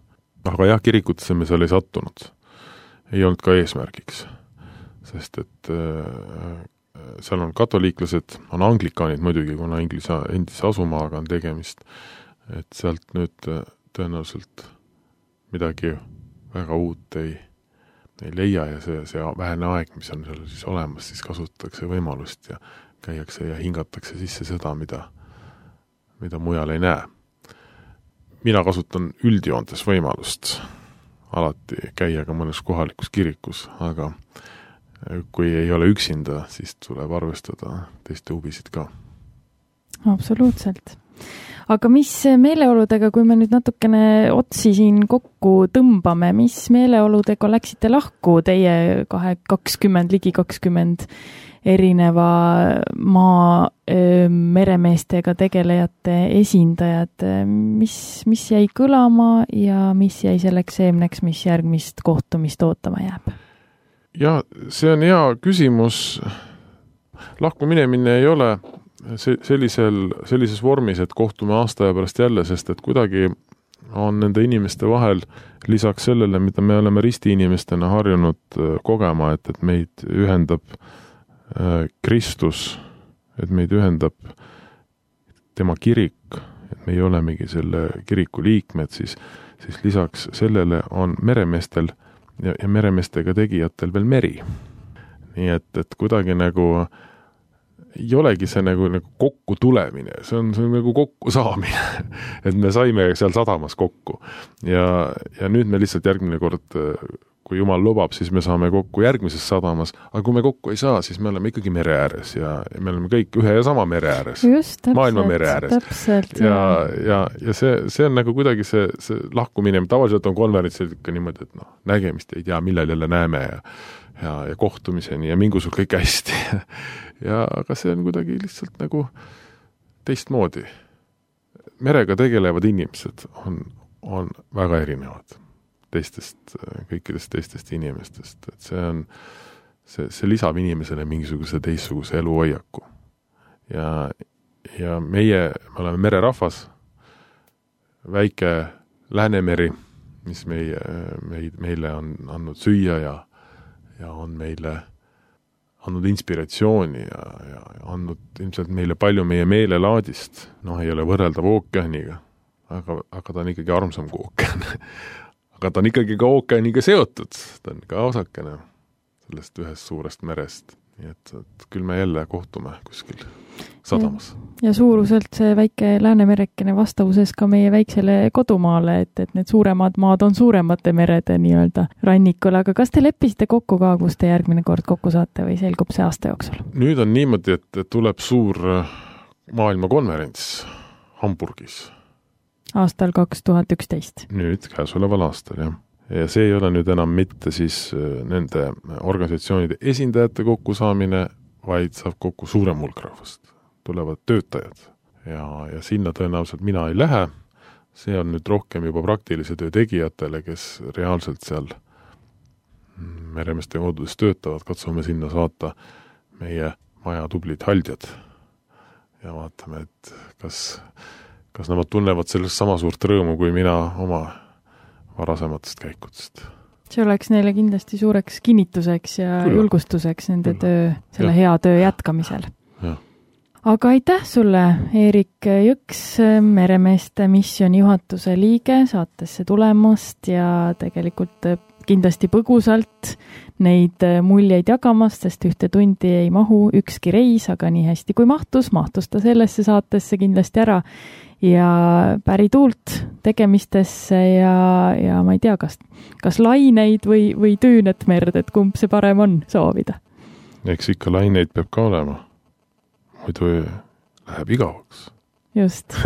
Aga jah, kirikutesse me seal ei sattunud. Ei olnud ka eesmärgiks, sest et äh, seal on katoliiklased, on anglikaanid muidugi, kuna Inglise endise asumaaga on tegemist, et sealt nüüd tõenäoliselt midagi väga uut ei, ei leia ja see, see vähene aeg, mis on seal siis olemas, siis kasutatakse võimalust ja käiakse ja hingatakse sisse seda, mida, mida mujal ei näe. Mina kasutan üldjoontes võimalust alati käia ka mõnes kohalikus kirikus, aga kui ei ole üksinda, siis tuleb arvestada teiste huvisid ka. Absoluutselt. Aga mis meeleoludega, kui me nüüd natukene otsi siin kokku tõmbame, mis meeleoludega läksite lahku teie kahe, kakskümmend, ligi kakskümmend erineva maa meremeestega tegelejate esindajad, mis, mis jäi kõlama ja mis jäi selleks seemneks, mis järgmist kohtumist ootama jääb? Ja see on hea küsimus. Lahku minemine ei ole sellisel, sellises vormis, et kohtume aasta ja pärast jälle, sest et kuidagi on nende inimeste vahel lisaks sellele, mida me oleme risti inimestena harjunud kogema, et, et meid ühendab Kristus, et meid ühendab tema kirik, et me ei olemegi selle kiriku liikmed, siis, siis lisaks sellele on meremeestel ja, ja meremeestega tegijatel veel meri. Nii et, et kuidagi nagu ei olegi see nagu, nagu kokku tulemine, see on, see on nagu kokku saamine, et me saime seal sadamas kokku ja, ja nüüd me lihtsalt järgmine kord, kui Jumal lubab, siis me saame kokku järgmises sadamas, aga kui me kokku ei saa, siis me oleme ikkagi mere ääres ja, ja me oleme kõik ühe ja sama mere ääres, just, täpselt, maailma mere ääres täpselt, ja, ja, ja see, see on nagu kuidagi see, see lahkumine, tavaliselt on konverentsil ikka niimoodi, et noh, nägemist ei tea, millal jälle näeme ja ja, ja kohtumiseni ja mingu sul kõik hästi. ja, aga see on kuidagi lihtsalt nagu teistmoodi. Merega tegelevad inimesed on, on väga erinevad teistest, kõikidest teistest inimestest. Et see on, see, see lisab inimesele mingisuguse teistsuguse eluhoiaku. Ja, ja meie, me oleme mererahvas, väike Läänemeri, mis meie, meid, meile on andnud süüa ja ja on meile andnud inspiratsiooni ja, ja andnud ilmselt meile palju meie meelelaadist. Noh, ei ole võrreldav ookeaniga, aga, aga ta on ikkagi armsam kui ookean. aga ta on ikkagi ka ookeaniga seotud. Ta on ka osakene sellest ühest suurest merest. Nii et, et küll me jälle kohtume kuskil sadamas. Ja, ja suuruselt see väike Läänemerekene vastavuses ka meie väiksele kodumaale, et, et need suuremad maad on suuremate merede nii-öelda rannikul, aga kas te leppisite kokku ka, kus te järgmine kord kokku saate või selgub see aasta jooksul? Nüüd on niimoodi, et tuleb suur maailmakonverents Hamburgis. Aastal kaks tuhat üksteist. Nüüd käesoleval aastal, jah. Ja see ei ole nüüd enam mitte siis nende organisatsioonide esindajate kokkusaamine, vaid saab kokku suurem hulk rahvast. Tulevad töötajad ja, ja sinna tõenäoliselt mina ei lähe. See on nüüd rohkem juba praktilise töö tegijatele, kes reaalselt seal meremeeste kodudes töötavad. Katsume sinna saata meie maja tublid haldjad ja vaatame, et kas, kas nemad tunnevad sellest sama suurt rõõmu kui mina oma varasematest käikudest. See oleks neile kindlasti suureks kinnituseks ja Külla. julgustuseks nende Külla. töö, selle ja. hea töö jätkamisel. Ja. Aga aitäh sulle, Eerik Jõks, meremeeste missiooni juhatuse liige, saatesse tulemast ja tegelikult kindlasti põgusalt neid muljeid jagamast, sest ühte tundi ei mahu ükski reis, aga nii hästi kui mahtus, mahtus ta sellesse saatesse kindlasti ära ja päri tuult tegemistesse ja, ja ma ei tea, kas, kas laineid või, või tüünet merd, et kumb see parem on soovida? Eks ikka laineid peab ka olema, muidu läheb igavaks. Just.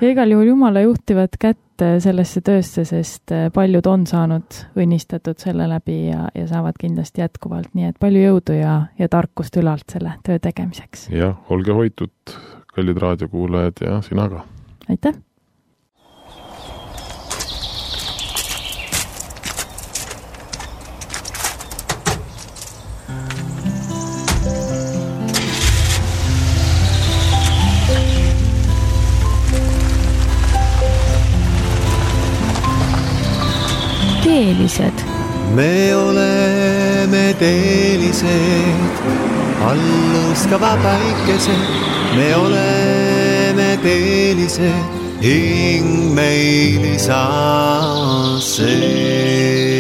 Ja igal juhul Jumala juhtivad kätte sellesse töösse, sest paljud on saanud õnnistatud selle läbi ja, ja saavad kindlasti jätkuvalt, nii et palju jõudu ja, ja tarkust ülalt selle töö tegemiseks. Ja, olge hoitud, kallid raadiokuulajad ja sina ka. Aitäh! teelised. me oleme teelised, alluskava päikesed, me oleme teelised, hing meil isa sees.